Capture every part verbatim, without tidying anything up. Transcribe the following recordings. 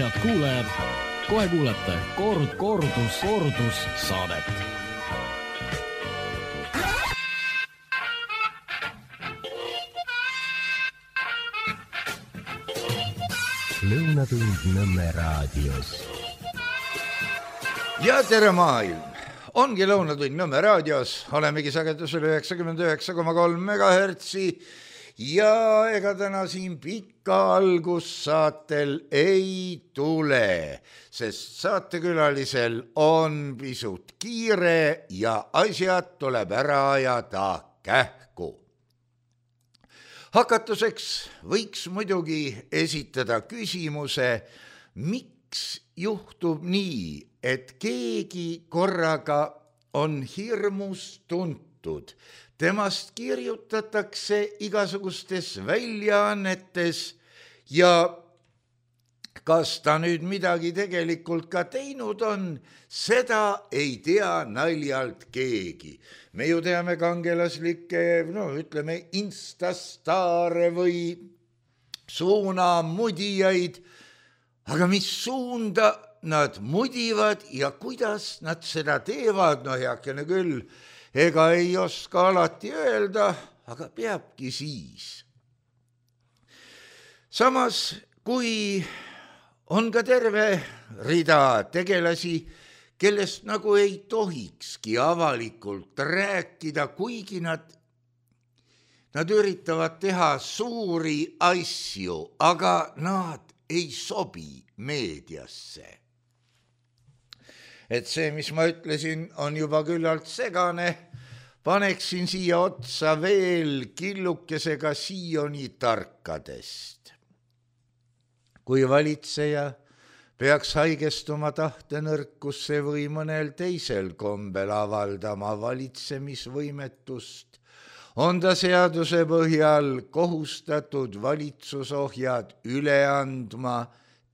Head kuulajad, kohe kuulete koord, koordus, koordus saadet. Lõunatund Nõmme raadios. Ja tere maailm! Ongi Lõunatund Nõmme raadios. Olemegi sagedusel üheksakümmend üheksa koma kolm megahertsi ja ega täna siin pikka algussaatel ei tule, sest saatekülalisel on pisut kiire ja asjad tuleb ära ajada kähku. Hakatuseks võiks muidugi esitada küsimuse, miks juhtub nii, et keegi korraga on hirmus tuntud. Temast kirjutatakse igasugustes väljaannetes ja kas ta nüüd midagi tegelikult ka teinud on, seda ei tea naljalt keegi. Me ju teame kangelaslikke, no ütleme, instastaare või suunamudijaid, aga mis suunda nad mudivad ja kuidas nad seda teevad, no heakene küll, ega ei oska alati öelda, aga peabki siis. Samas, kui on ka terve rida tegelasi, kellest nagu ei tohikski avalikult rääkida, kuigi nad, nad üritavad teha suuri asju, aga nad ei sobi meediasse. Et see, mis ma ütlesin, on juba küllalt segane, paneksin siia otsa veel killukesega Sioni tarkadest. Kui valitseja peaks haigestuma tahtenõrkusse või mõnel teisel kombel avaldama valitsemisvõimetust, on ta seaduse põhjal kohustatud valitsusohjad üle andma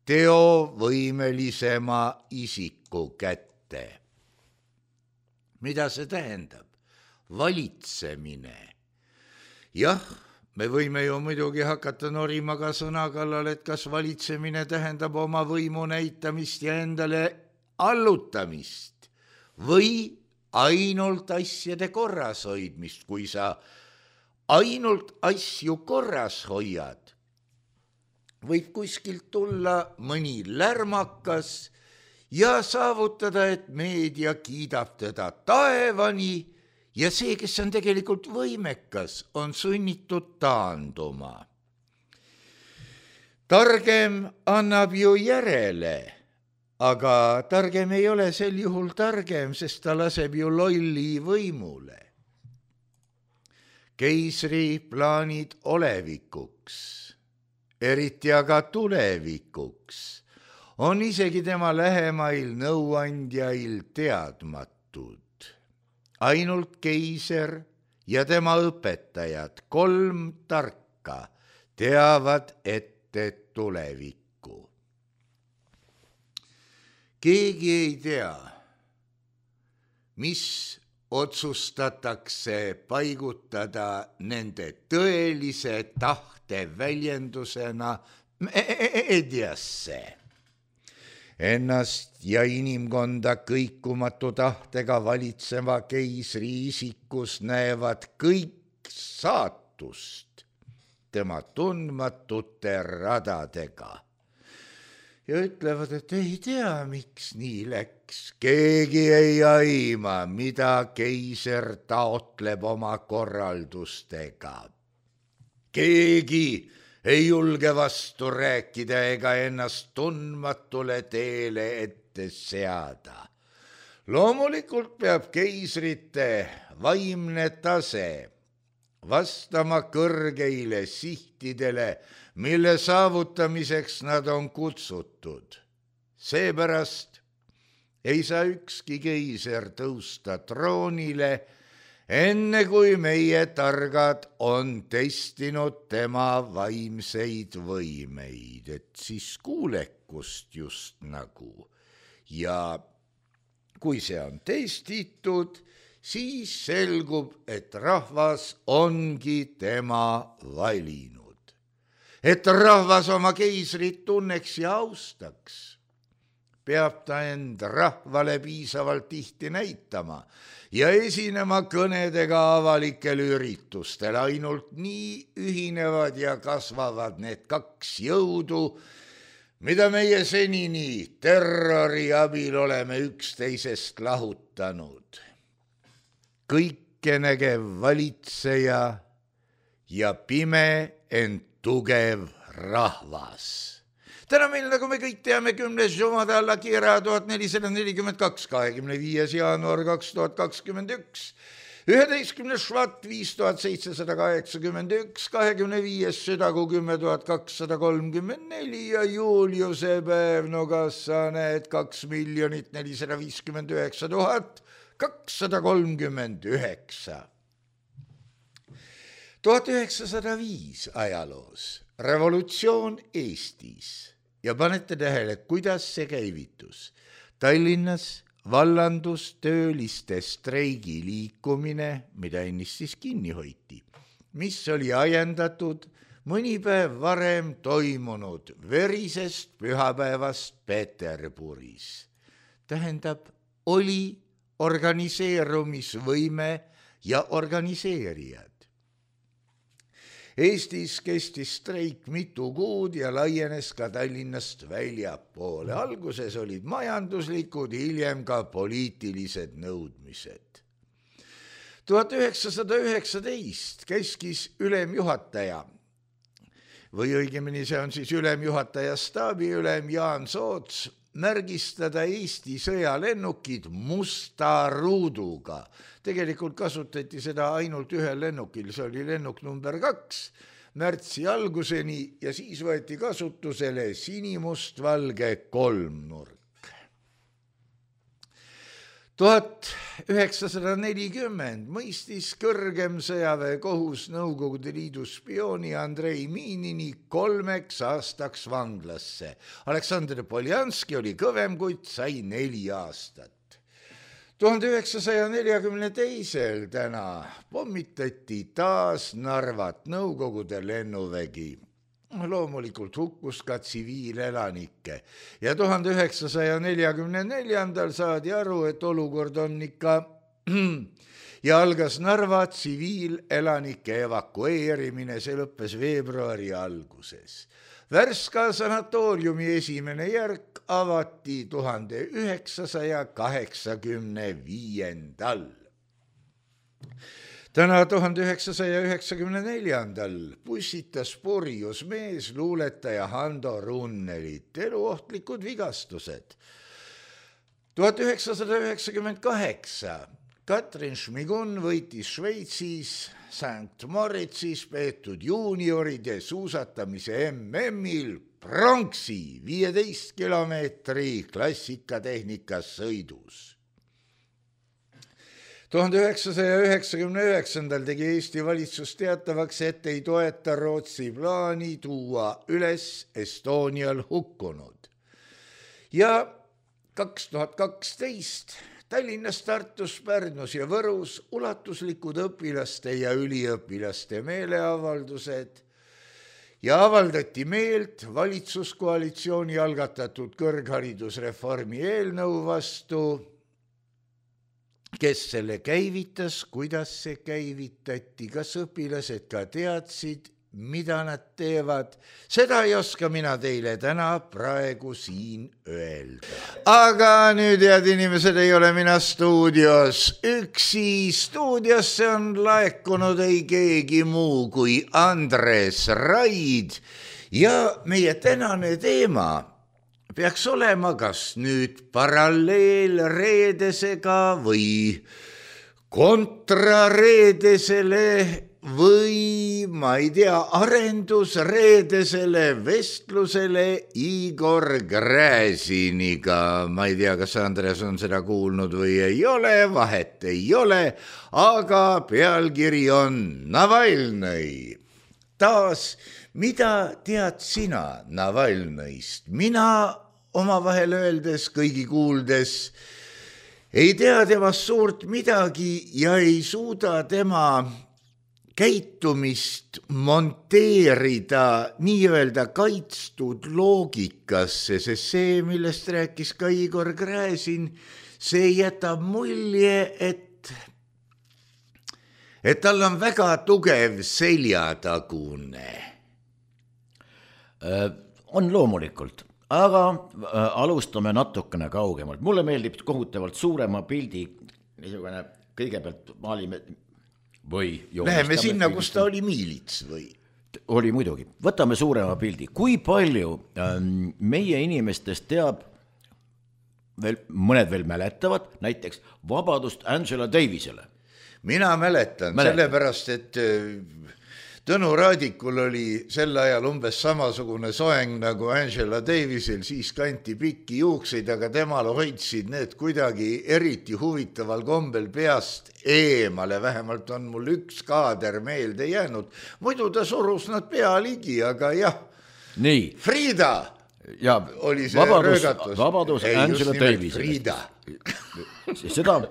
teovõimelisema isiku kätte. Mida see tähendab? Valitsemine. Jah, me võime ju muidugi hakata norima ka sõna kallal, et kas valitsemine tähendab oma võimu näitamist ja endale allutamist või ainult asjade korras hoidmist. Kui sa ainult asju korras hoiad, võib kuskilt tulla mõni lärmakas ja saavutada, et meedia kiidab teda taevani ja see, kes on tegelikult võimekas, on sunnitud taanduma. Targem annab ju järele, aga targem ei ole sel juhul targem, sest ta laseb ju lolli võimule. Keisri plaanid olevikuks, eriti aga tulevikuks, on isegi tema lähemail nõuandjail teadmatud. Ainult keiser ja tema õpetajad, kolm tarka, teavad ette tulevikku. Keegi ei tea, mis otsustatakse paigutada nende tõelise tahte väljendusena meediasse. Ennast ja inimkonda kõikumatu tahtega valitseva keisri isikus näevad kõik saatust tema tundmatute radadega. Ja ütlevad, et ei tea, miks nii läks. Keegi ei aima, mida keiser taotleb oma korraldustega. Keegi ei julge vastu rääkida ega ennast tundmatule teele ette seada. Loomulikult peab keisrite vaimne tase vastama kõrgeile sihtidele, mille saavutamiseks nad on kutsutud. Seepärast ei saa ükski keiser tõusta troonile, enne kui meie targad on testinud tema vaimseid võimeid, et siis kuulekust just nagu. Ja kui see on testitud, siis selgub, et rahvas ongi tema valinud. et rahvas oma keisrit tunneks ja austaks, peab ta end rahvale piisavalt tihti näitama ja esinema kõnedega avalikel üritustel. Ainult nii ühinevad ja kasvavad need kaks jõudu, mida meie senini terrori abil oleme üksteisest lahutanud. Kõikenägev valitseja ja pime, ent tugev rahvas. Täna meil, nagu me kõik teame, kümnes Jumada alla Kira tuhat nelisada nelikümmend kaks, kahekümne viies jaanuar kaks tuhat kakskümmend üks, üheteistkümnes Švat viis tuhat seitsesada kaheksakümmend üks, kahekümne viies Südagu kümme tuhat kakssada kolmkümmend neli ja Juliuse päev, no kas sa näed, kaks miljonit nelisada viiskümmend üheksa tuhat kakssada kolmkümmend üheksa. tuhat üheksasada viis ajaloos, revolutsioon Eestis. Ja panete tähele, kuidas see käivitus. Tallinnas vallandus tööliste streigi liikumine, mida ennist siis kinni hoiti, mis oli ajendatud mõni päev varem toimunud verisest pühapäevast Peterburis. Tähendab, oli organiseerumisvõime ja organiseerijad. Eestis kestis streik mitu kuud ja laienes ka Tallinnast väljapoole. Alguses olid majanduslikud, hiljem ka poliitilised nõudmised. tuhat üheksasada üheksateist käskis ülemjuhataja, või õigemini see on siis ülemjuhataja staabiülem Jaan Soots, märgistada Eesti sõjalennukid musta ruuduga. Tegelikult kasutati seda ainult ühel lennukil, see oli lennuk number kaks, märtsi alguseni ja siis võeti kasutusele sinimustvalge kolmnurk. tuhat üheksasada nelikümmend mõistis kõrgem sõjaväekohus Nõukogude Liidu spiooni Andrei Miinini kolmeks aastaks vanglasse. Aleksandr Poljanski oli kõvem, kuid sai neli aastat. tuhande üheksasaja neljakümne teisel täna pommitati taas Narvat Nõukogude lennuvägi. Loomulikult hukkus ka tsiviilelanikke ja tuhande üheksasaja neljakümne neljandal saadi aru, et olukord on ikka ja algas Narva tsiviilelanike evakueerimine, see lõppes veebruari alguses. Värska sanatooriumi esimene järk avati tuhande üheksasaja kaheksakümne viiendal. Täna tuhande üheksasaja üheksakümne neljandal pussitas purjus mees luuletaja Hando Runnelit, eluohtlikud vigastused. tuhat üheksasada üheksakümmend kaheksa Katrin Šmigun võitis Šveitsis Sankt Moritsis peetud juunioride suusatamise M M-il pronksi viieteist kilomeetri klassikatehnikas sõidus. tuhande üheksasaja üheksakümne üheksandal tegi Eesti valitsus teatavaks, et ei toeta Rootsi plaani tuua üles Estonial hukkunud. Ja kaks tuhat kaksteist Tallinnas, Tartus, Pärnus ja Võrus ulatuslikud õpilaste ja üliõpilaste meeleavaldused ja avaldati meelt valitsuskoalitsiooni algatatud kõrgharidusreformi eelnõu vastu. Kes selle käivitas, kuidas see käivitati, kas õpilased ka teadsid, mida nad teevad, seda ei oska mina teile täna praegu siin öelda. Aga nüüd, head inimesed, ei ole mina stuudios üksi. Stuudiosse on laekunud ei keegi muu kui Andres Raid ja meie tänane teema peaks olema kas nüüd paralleelreedesega või kontrareedesele või ma ei tea, arendusreedesele vestlusele Igor Gräziniga. Ma ei tea, kas Andres on seda kuulnud või ei ole, vahet ei ole, aga pealkiri on Navalnõi. Taas, mida tead sina Navalnõist? Mina omavahel öeldes, kõigi kuuldes, ei tea temast suurt midagi ja ei suuda tema käitumist monteerida nii-öelda kaitstud loogikasse, sest see, millest rääkis ka Igor Gräzin, see jätab mulje, et, et tal on väga tugev seljatagune. On loomulikult, aga alustame natukene kaugemalt. Mulle meeldib kohutavalt suurema pildi, niisugune kõigepealt maalime või läheme sinna, kus ta oli miilits või? Oli muidugi. Võtame suurema pildi. Kui palju ähm, meie inimestest teab, veel, mõned veel mäletavad, näiteks vabadust Angela Davisele? Mina mäletan, mäletan. Sellepärast, et Tõnu Raadikul oli sel ajal umbes samasugune soeng nagu Angela Davisel, siis kanti pikki juukseid, aga temal hoidsid need kuidagi eriti huvitaval kombel peast eemale, vähemalt on mul üks kaader meelde jäänud. Muidu ta surus nad pea ligi, aga jah, nii. Frida ja, oli see vabadus, röögatus. Vabadus Ei, Angela Davisele. Frida. Seda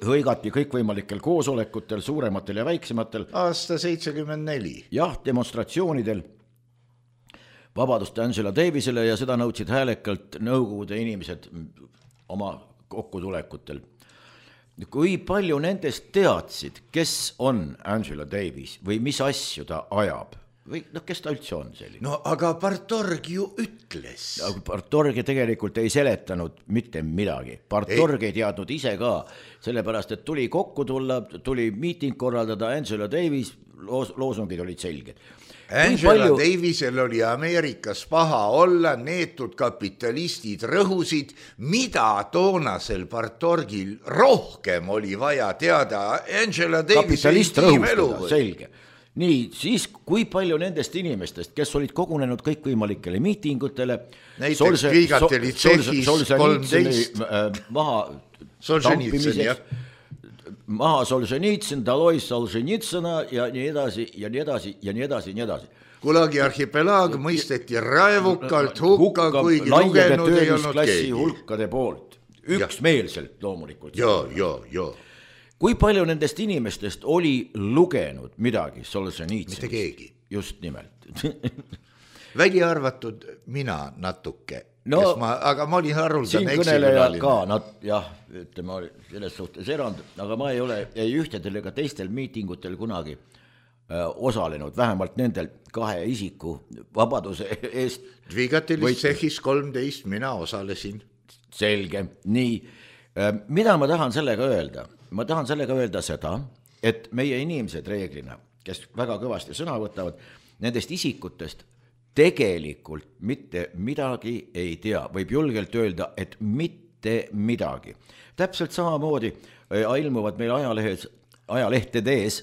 hõigati kõikvõimalikel koosolekutel, suurematel ja väiksematel. Aasta seitsekümmend neli. Jah, demonstratsioonidel vabadust Angela Davisele ja seda nõudsid häälekalt nõukogude inimesed oma kokkutulekutel. Kui palju nendest teadsid, kes on Angela Davis või mis asju ta ajab? Või noh, kes ta üldse on selline? No aga Partorg ju ütles. Partorg tegelikult ei seletanud mitte midagi. Partorg ei, ei teadnud ise ka, sellepärast, et tuli kokku tulla, tuli miiting korraldada, Angela Davis, loos, loosungid olid selged. Angela palju... Davisel oli Ameerikas paha olla, neetud kapitalistid rõhusid, mida toonasel Partorgil rohkem oli vaja teada. Angela Davis ei tiimelu. Selge. Nii, siis kui palju nendest inimestest, kes olid kogunenud kõikvõimalikele miitingutele, näiteks Solse, Viigateli tsehhis kolmteist maha tampimiseks, maha Solženitsyn, Daloi Solženitsõna ja nii edasi ja nii edasi ja nii edasi ja nii edasi. Kulagi arhipelaag mõisteti raevukalt hukka, kuigi lugenud ei olnud keegi. Hulkade poolt, üksmeelselt loomulikult. Joo, joo, joo. Kui palju nendest inimestest oli lugenud midagi Solženitsõnist? Mitte keegi. Just nimelt. Välja arvatud mina natuke, no, ma, aga ma olin haruldan eksikülaline. Ka, nad, jah, ütleme, oli selles suhtes erand, aga ma ei ole ei ühtedel ega teistel miitingutel kunagi äh, osalenud, vähemalt nendel kahe isiku vabaduse eest. Viigatelis tsehhis kolmteist mina osalesin. Selge, nii. Äh, mida ma tahan sellega öelda? Ma tahan sellega öelda seda, et meie inimesed reeglina, kes väga kõvasti sõna võtavad, nendest isikutest tegelikult mitte midagi ei tea. Võib julgelt öelda, et mitte midagi. Täpselt samamoodi ilmuvad meil ajalehes, ajalehtedes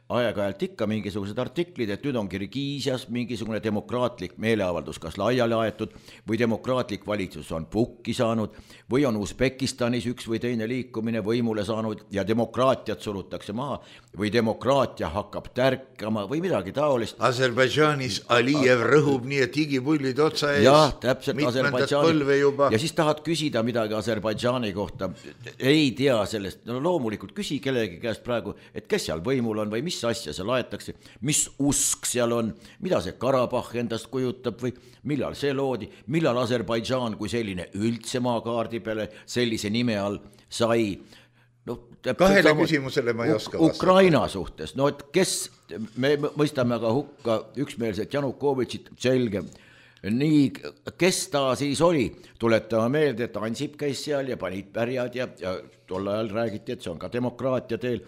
aeg-ajalt ikka mingisugused artiklid, et nüüd on Kirgiisias mingisugune demokraatlik meeleavaldus kas laiali aetud või demokraatlik valitsus on pukki saanud või on Usbekistanis üks või teine liikumine võimule saanud ja demokraatiat surutakse maha või demokraatia hakkab tärkama või midagi taolist. Aserbaidžaanis Alijev rõhub nii, et higipullid otsa ees. Jah, täpselt Aserbaidžaani. Ja siis tahad küsida midagi Aserbaidžaani kohta. Ei tea sellest. No loomulikult küsi kellegi käest praegu, et kes seal võimul on või mis asja seal aetakse, mis usk seal on, mida see Karabah endast kujutab või millal see loodi, millal Aserbaidžaan kui selline üldse maakaardi peale sellise nime all sai. No, kahele sama, küsimusele ma ei oska vastata. Ukraina suhtes, no et kes, me mõistame aga hukka üksmeelset Janukovitšit, selge, nii, kes ta siis oli, tuletame meelde, et Ansip käis seal ja panid pärjad ja, ja tol ajal räägiti, et see on ka demokraatia teel.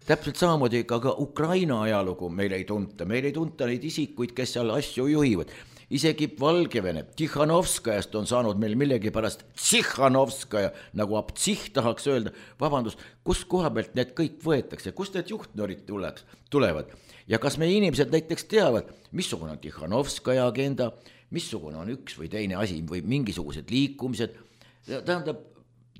Täpselt samamoodi ka, ka Ukraina ajalugu meil ei tunta, meil ei tunta neid isikuid, kes seal asju juhivad. Isegi Valgevene, Tihhanovskajast on saanud meil millegi pärast Tihhanovskaja, nagu Abtsih tahaks öelda, vabandust, kus koha pealt need kõik võetakse, kust need juhtnorid tuleks, tulevad. Ja kas meie inimesed näiteks teavad, missugune on Tihhanovskaja agenda, missugune on üks või teine asi või mingisugused liikumised. Tähendab,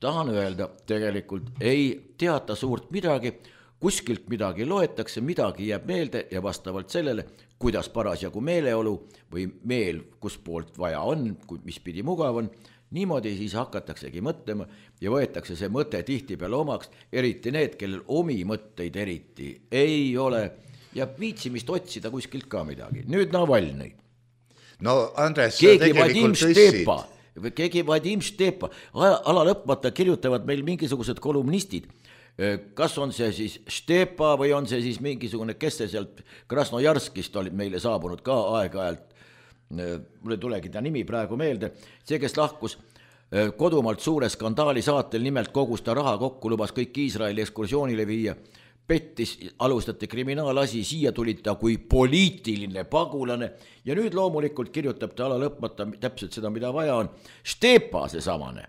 tahan öelda, tegelikult ei teata suurt midagi, kuskilt midagi loetakse, midagi jääb meelde ja vastavalt sellele, kuidas parasjagu meeleolu või meel, kus poolt vaja on, mis pidi mugav on, niimoodi siis hakataksegi mõtlema ja võetakse see mõte tihti peale omaks, eriti need, kellel omi mõtteid eriti ei ole ja viitsimist otsida kuskilt ka midagi. Nüüd Navalnõi. No Andres, keegi Vadim Štepa, keegi Vadim Štepa, ala lõpmata kirjutavad meil mingisugused kolumnistid, kas on see siis Štepa või on see siis mingisugune, kes see sealt Krasnojarskist oli meile saabunud ka aeg-ajalt, mul ei tulegi ta nimi praegu meelde, see, kes lahkus kodumaalt suure skandaali saatel, nimelt kogus ta raha kokku, lubas kõik Iisraeli ekskursioonile viia, pettis, alustati kriminaalasi, siia tulid ta kui poliitiline pagulane ja nüüd loomulikult kirjutab ta ala lõpmata täpselt seda, mida vaja on. Štepa see samane.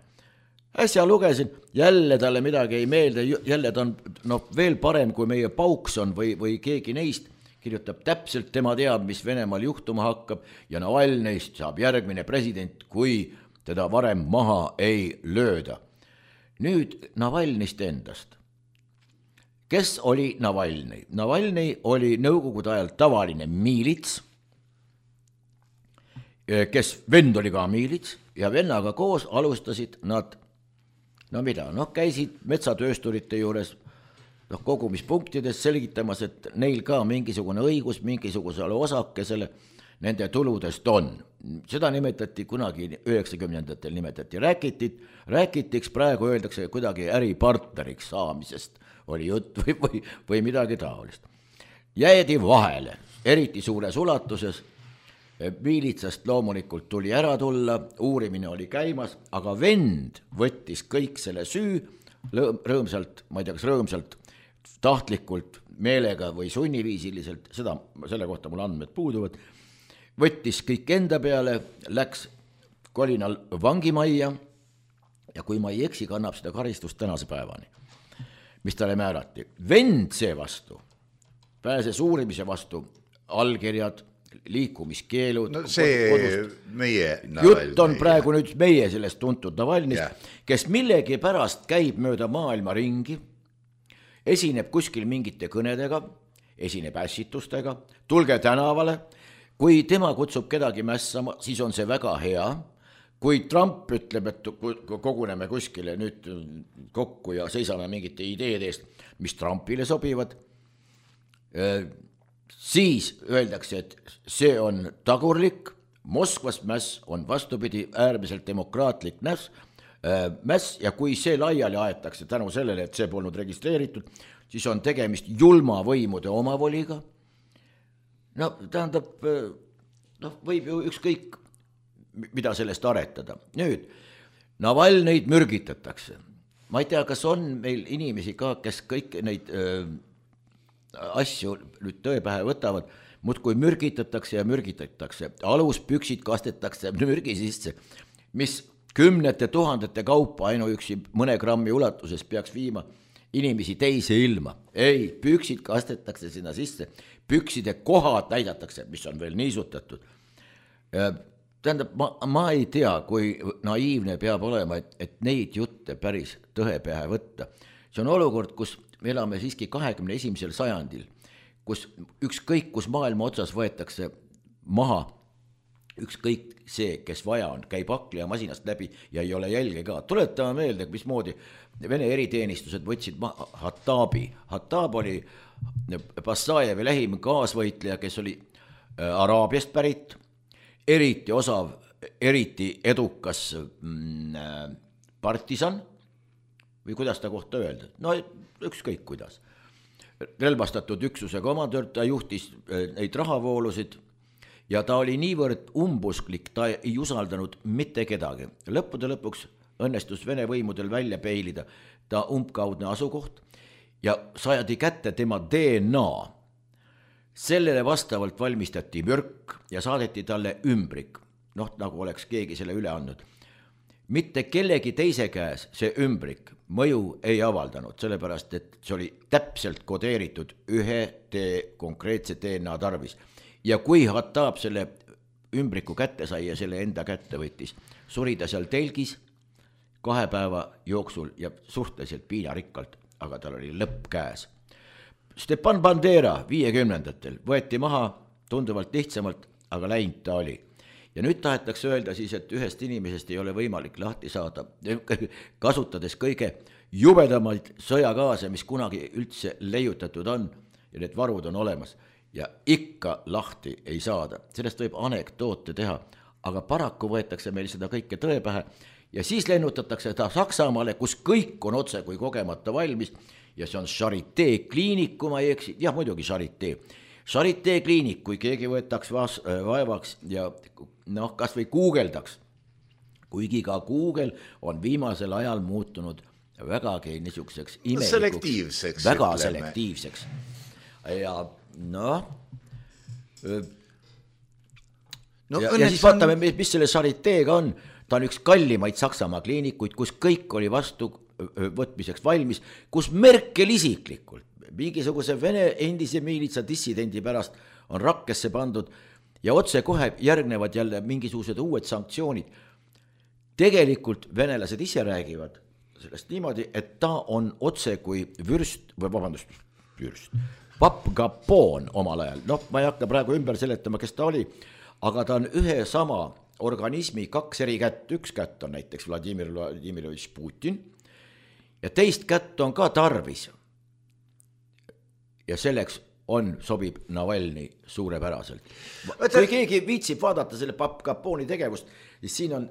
Äsja lugesin, jälle talle midagi ei meelde, jälle ta on no, veel parem kui meie Paukson või, või keegi neist, kirjutab täpselt, tema teab, mis Venemaal juhtuma hakkab ja Navalnõist saab järgmine president, kui teda varem maha ei lööda. Nüüd Navalnõist endast. Kes oli Navalnõi? Navalnõi oli nõukogude ajal tavaline miilits, kes vend oli ka miilits ja vennaga koos alustasid nad, no mida, noh käisid metsatöösturite juures noh, kogumispunktides selgitamas, et neil ka mingisugune õigus mingisugusele osakesele nende tuludest on. Seda nimetati kunagi üheksakümnendatel nimetati rääkitit, rääkitiks, praegu öeldakse kuidagi äripartneriks saamisest oli jutt või, või, või midagi taolist. Jäädi vahele, eriti suures ulatuses, miilitsast loomulikult tuli ära tulla, uurimine oli käimas, aga vend võttis kõik selle süü rõõmsalt, ma ei tea, kas rõõmsalt, tahtlikult, meelega või sunniviisiliselt, seda, selle kohta mul andmed puuduvad, võttis kõik enda peale, läks kolinal vangimajja ja kui ma ei eksi, kannab seda karistust tänase päevani, mis talle määrati. Vend seevastu pääses uurimise vastu allkirjad, liikumiskeelud. No see kodust. Meie Navalnõi. Jutt on praegu nüüd meie sellest tuntud Navalnõist, yeah. Kes millegi pärast käib mööda maailma ringi, esineb kuskil mingite kõnedega, esineb ässitustega, tulge tänavale, kui tema kutsub kedagi mässama, siis on see väga hea, kui Trump ütleb, et koguneme kuskile nüüd kokku ja seisame mingite ideede eest, mis Trumpile sobivad, siis öeldakse, et see on tagurlik, Moskvas mäss on vastupidi äärmiselt demokraatlik näs, mäss ja kui see laiali aetakse tänu sellele, et see polnud registreeritud, siis on tegemist julma võimude omavoliga. No tähendab, noh, võib ju ükskõik, mida sellest aretada. Nüüd, Navalnõid mürgitatakse. Ma ei tea, kas on meil inimesi ka, kes kõik neid öö, asju nüüd tõepähe võtavad, muudkui mürgitatakse ja mürgitatakse. Aluspüksid kastetakse mürgi sisse, mis kümnete tuhandete kaupa ainuüksi mõne grammi ulatuses peaks viima inimesi teise ilma. Ei, püksid kastetakse sinna sisse, pükside kohad näidatakse, mis on veel niisutatud. Tähendab, ma, ma ei tea, kui naiivne peab olema, et, et neid jutte päris tõepähe võtta. See on olukord, kus me elame siiski kahekümne esimesel sajandil, kus ükskõik, kus maailma otsas võetakse maha, ükskõik see, kes vaja on, käib akli ja masinast läbi ja ei ole jälge ka. Tuletame meelde, mismoodi Vene eriteenistused võtsid maha Hattabi. Hattab oli Bassajevi lähim kaasvõitleja, kes oli Araabiast pärit, eriti osav, eriti edukas mm, partisan, või kuidas ta kohta öelda? No ükskõik kuidas. Relvastatud üksuse komandör, ta juhtis neid rahavoolusid ja ta oli niivõrd umbusklik, ta ei usaldanud mitte kedagi. Lõppude lõpuks õnnestus Vene võimudel välja peilida ta umbkaudne asukoht ja saadi kätte tema D N A. Sellele vastavalt valmistati mürk ja saadeti talle ümbrik, noh nagu oleks keegi selle üle andnud. Mitte kellegi teise käes see ümbrik mõju ei avaldanud, sellepärast et see oli täpselt kodeeritud ühe te konkreetse D N A tarvis. Ja kui Hattab selle ümbriku kätte sai ja selle enda kätte võttis, suri ta seal telgis kahe päeva jooksul ja suhteliselt piinarikkalt, aga tal oli lõpp käes. Stepan Bandera viiekümnendatel võeti maha tunduvalt lihtsamalt, aga läinud ta oli. ja nüüd tahetakse öelda siis, et ühest inimesest ei ole võimalik lahti saada, kasutades kõige jubedamaid sõjagaase, mis kunagi üldse leiutatud on ja need varud on olemas ja ikka lahti ei saada. Sellest võib anekdoote teha, aga paraku võetakse meil seda kõike tõe pähe ja siis lennutatakse ta Saksamaale, kus kõik on otse kui kogemata valmis ja see on Charité kliinik, kui ma ei eksi, jah muidugi Charité. Charité kliinik, kui keegi võetaks vas, vaevaks ja noh, kas või guugeldaks, kuigi ka Google on viimasel ajal muutunud vägagi niisuguseks imelikuks, selektiivseks, väga ütleme. selektiivseks. Ja noh, no, ja, ja siis vaatame, mis, mis selle Charitéga on. Ta on üks kallimaid Saksamaa kliinikuid, kus kõik oli vastu võtmiseks valmis, kus Merkel isiklikult mingisuguse Vene endise miilitsa dissidendi pärast on rakkesse pandud ja otse kohe järgnevad jälle mingisugused uued sanktsioonid. Tegelikult venelased ise räägivad sellest niimoodi, et ta on otse kui vürst, või vabandust, vürst, Papp Gapon omal ajal, noh, ma ei hakka praegu ümber seletama, kes ta oli, aga ta on ühe sama organismi kaks eri kätt, üks kätt on näiteks Vladimir Vladimirovitš Putin ja teist kätt on ka tarvis. Ja selleks on, sobib Navalny suurepäraselt. Kui keegi viitsib vaadata selle Papp Gaponi tegevust, siis siin on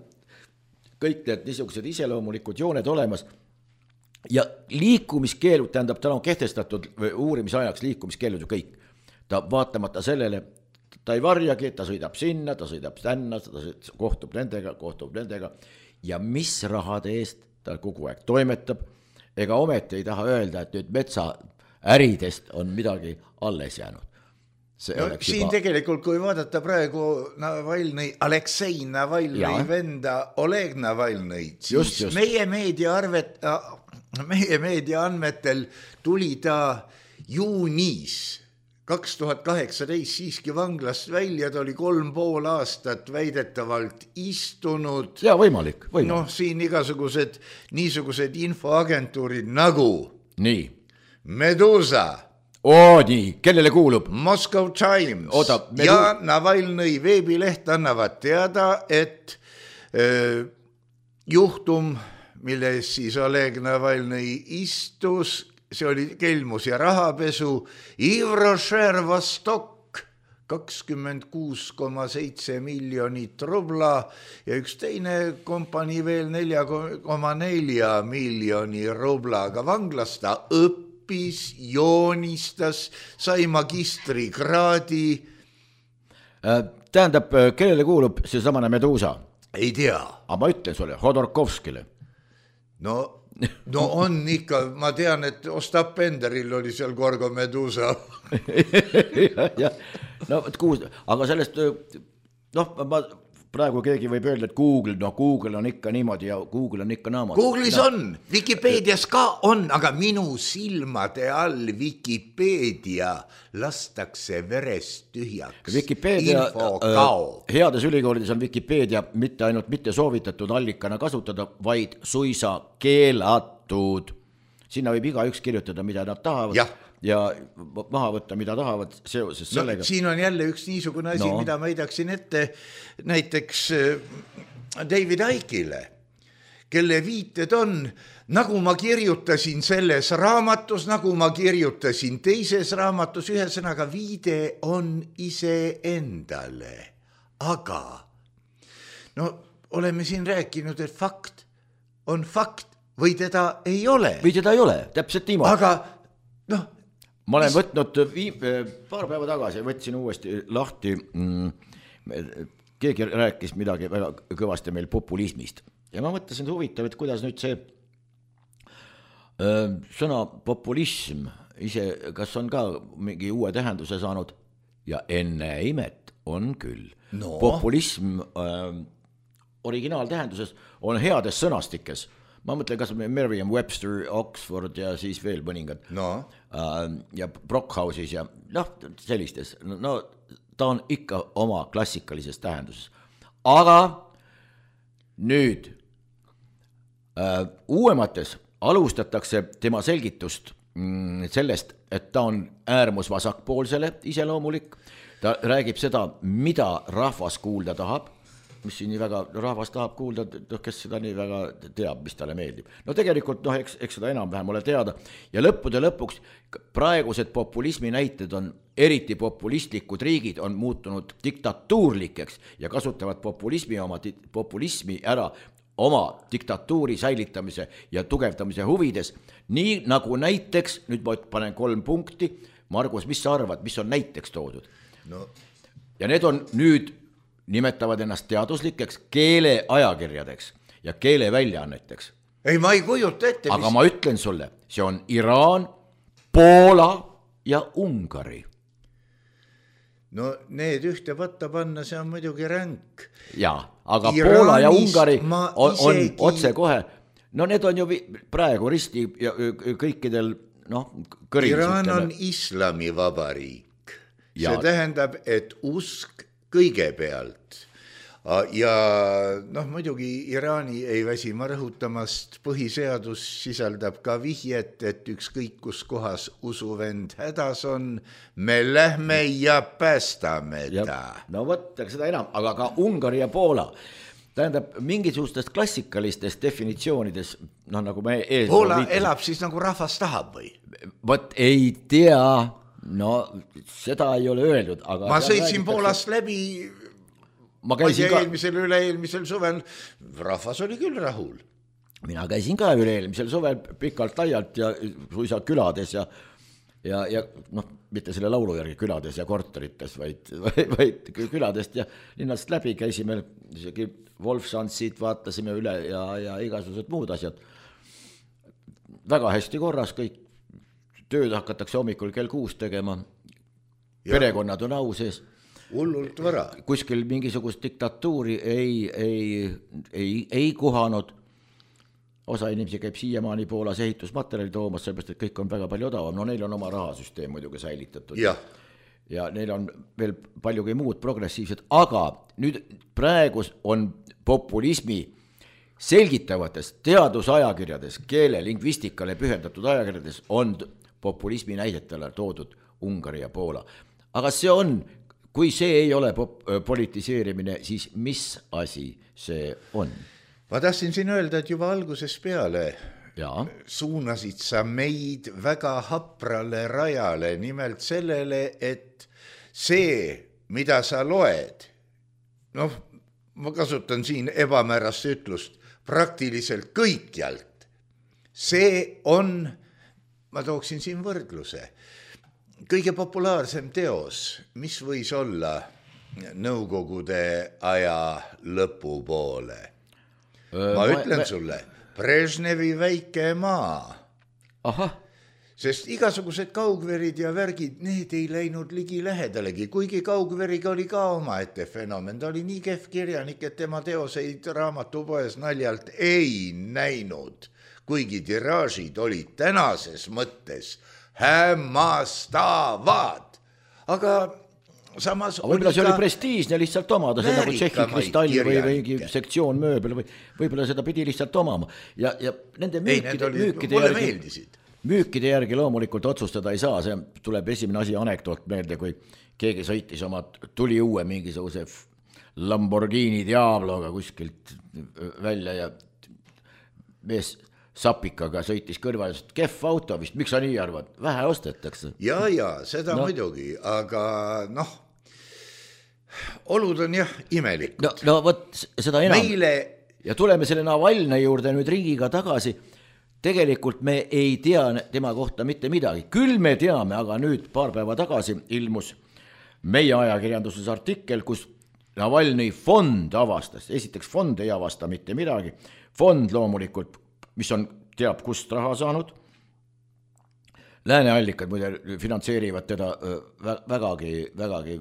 kõik need niisugused iseloomulikud jooned olemas ja liikumiskeelud, tähendab, ta on kehtestatud uurimisajaks liikumiskeelud ju kõik. Ta vaatamata sellele, ta ei varjagi, ta sõidab sinna, ta sõidab tänna, ta kohtub nendega, kohtub nendega ja mis rahade eest ta kogu aeg toimetab, ega ometi ei taha öelda, et nüüd metsa äridest on midagi alles jäänud. No, siin juba... tegelikult, kui vaadata praegu Navalnõi, Aleksei Navalnõi venda Oleg Navalnõi, siis just, just. meie meedia arvet, meie meedia andmetel tuli ta juunis kaks tuhat kaheksateist siiski vanglast välja, ta oli kolm pool aastat väidetavalt istunud. Ja võimalik, võimalik. Noh, siin igasugused niisugused infoagentuurid nagu nii. Medusa. Oo, nii, kellele kuulub? Moscow Times Oota, Medu... ja Navalnõi veebileht annavad teada, et äh, juhtum, milles siis Oleg Navalnõi istus, see oli kelmus ja rahapesu, Ivrošer Vostok, kakskümmend kuus koma seitse miljonit rubla ja üks teine kompanii veel neli koma neli miljoni rublaga vanglas ta õppis, joonistas, sai magistrikraadi. Tähendab, kellele kuulub see samane Medusa? Ei tea. Aga ma ütlen sulle, Hodorkovskile. No, no on ikka, ma tean, et Ostap Penderil oli seal Gorgo Medusa. ja, ja. No, kuus, aga sellest, noh, ma praegu keegi võib öelda, et Google, no Google on ikka niimoodi ja Google on ikka naamad. Google'is no. on, Wikipedias ka on, aga minu silmade all Wikipedia lastakse verest tühjaks. Wikipedia, äh, heades ülikoolides on Wikipedia mitte ainult mitte soovitatud allikana kasutada, vaid suisa keelatud. Sinna võib iga üks kirjutada, mida nad tahavad. Jah. Ja maha võtta, mida tahavad seoses sellega. No, siin on jälle üks niisugune asi, no. mida ma heidaksin ette näiteks David Icke'ile, kelle viited on, nagu ma kirjutasin selles raamatus, nagu ma kirjutasin teises raamatus, ühesõnaga viide on ise endale. Aga no oleme siin rääkinud, et fakt on fakt või teda ei ole. Või teda ei ole, täpselt niimoodi. Aga noh, ma olen võtnud viim, paar päeva tagasi, võtsin uuesti lahti, mm, keegi rääkis midagi väga kõvasti meil populismist ja ma mõtlesin huvitav, et kuidas nüüd see öö, sõna populism ise, kas on ka mingi uue tähenduse saanud ja enne imet on küll. No. Populism öö, originaaltähenduses on heades sõnastikes. Ma mõtlen, kas Merriam-Webster, Oxford ja siis veel mõningad no. ja Brockhouse'is ja noh, sellistes. No ta on ikka oma klassikalises tähenduses. Aga nüüd äh, uuemates alustatakse tema selgitust mm, sellest, et ta on äärmus vasakpoolsele iseloomulik. Ta räägib seda, mida rahvas kuulda tahab. mis siin nii väga, rahvas tahab kuulda, noh, kes seda nii väga teab, mis talle meeldib. No tegelikult, noh, eks, eks seda enam-vähem ole teada ja lõppude lõpuks praegused populismi näited on, eriti populistlikud riigid on muutunud diktatuurlikeks ja kasutavad populismi, oma, populismi ära oma diktatuuri säilitamise ja tugevdamise huvides, nii nagu näiteks, nüüd ma panen kolm punkti, Margus, mis sa arvad, mis on näiteks toodud? No. Ja need on nüüd, nimetavad ennast teaduslikeks keeleajakirjadeks ja keeleväljaanneteks. Ei, ma ei kujuta ette. Aga mis... ma ütlen sulle, see on Iraan, Poola ja Ungari. No need ühte võtta panna, see on muidugi ränk. Jaa, aga Iraanis Poola ja Ungari on, on isegi... otse kohe, no need on ju praegu risti ja kõikidel, noh, kõrilistel. Iraan on islamivabariik. Ja. See tähendab, et usk kõigepealt ja noh, muidugi Iraani ei väsima rõhutamast, põhiseadus sisaldab ka vihjet, et ükskõik kus kohas usuvend hädas on, me lähme ja päästame ta. No võt, seda enam, aga ka Ungari ja Poola, tähendab mingisugustest klassikalistest definitsioonides, noh nagu me ees Poola elab siis nagu rahvas tahab või? Võt ei tea, no seda ei ole öeldud, aga ma sõitsin Poolast läbi, ma käisin ka eelmisel üle-eelmisel suvel, rahvas oli küll rahul. Mina käisin ka üle-eelmisel suvel pikalt laialt ja suisa külades ja, ja, ja noh, mitte selle laulu järgi külades ja korterites, vaid, vaid küladest ja linnast läbi käisime, isegi Wolfsandsit vaatasime üle ja, ja igasugused muud asjad. Väga hästi korras kõik. Tööd hakatakse hommikul kell kuus tegema, ja. Perekonnad on au sees. Hullult vara. Kuskil mingisugust diktatuuri ei, ei, ei, ei kuhanud. Osa inimesi käib siiamaani Poolas ehitusmaterjali toomas, sellepärast, et kõik on väga palju odavam. No neil on oma rahasüsteem muidugi säilitatud. Ja. ja neil on veel paljugi muud progressiivsed, aga nüüd praegu on populismi selgitavates teadusajakirjades, keele, lingvistikale pühendatud ajakirjades on populismi näidetele toodud Ungari ja Poola. Aga see on, kui see ei ole pop- politiseerimine, siis mis asi see on? Ma tahtsin siin öelda, et juba alguses peale ja. Suunasid sa meid väga haprale rajale, nimelt sellele, et see, mida sa loed, noh, ma kasutan siin ebamäärast ütlust, praktiliselt kõikjalt, see on, ma tooksin siin võrdluse, kõige populaarsem teos, mis võis olla nõukogude aja lõpupoole. Ma ma, ütlen ma... sulle, Brežnevi väike maa. Aha. Sest igasugused kaugverid ja värgid, need ei läinud ligi lähedalegi, kuigi kaugveriga oli ka omaette fenomen. Ta oli nii kehv kirjanik, et tema teoseid raamatupoes naljalt ei näinud, kuigi tiraažid olid tänases mõttes hämmastavad. Aga samas aga võib-olla see oli prestiižne lihtsalt omada, see nagu Tšehhi kristalli või mingi sektsioon mööbel või võib-olla seda pidi lihtsalt omama. Ja, ja nende müükide, oli, müükide, järgi, müükide järgi loomulikult otsustada ei saa, see tuleb esimene asi anekdoot meelde, kui keegi sõitis oma tuli uue mingisuguse Lamborghini Diabloga kuskilt välja ja mees sapikaga sõitis kõrval, kehv auto vist, miks sa nii arvad? Vähe ostetakse. Ja, ja, seda no. muidugi, aga noh, olud on jah imelikud. No, no võt, seda enam. Meile... Ja tuleme selle Navalnõi juurde nüüd riigiga tagasi. Tegelikult me ei tea tema kohta mitte midagi. Küll me teame, aga nüüd paar päeva tagasi ilmus meie ajakirjanduses artikkel, kus Navalnõi fond avastas. Esiteks fond ei avasta mitte midagi. Fond loomulikult, mis on, teab kust raha saanud. Lääneallikad muide finantseerivad teda vägagi, vägagi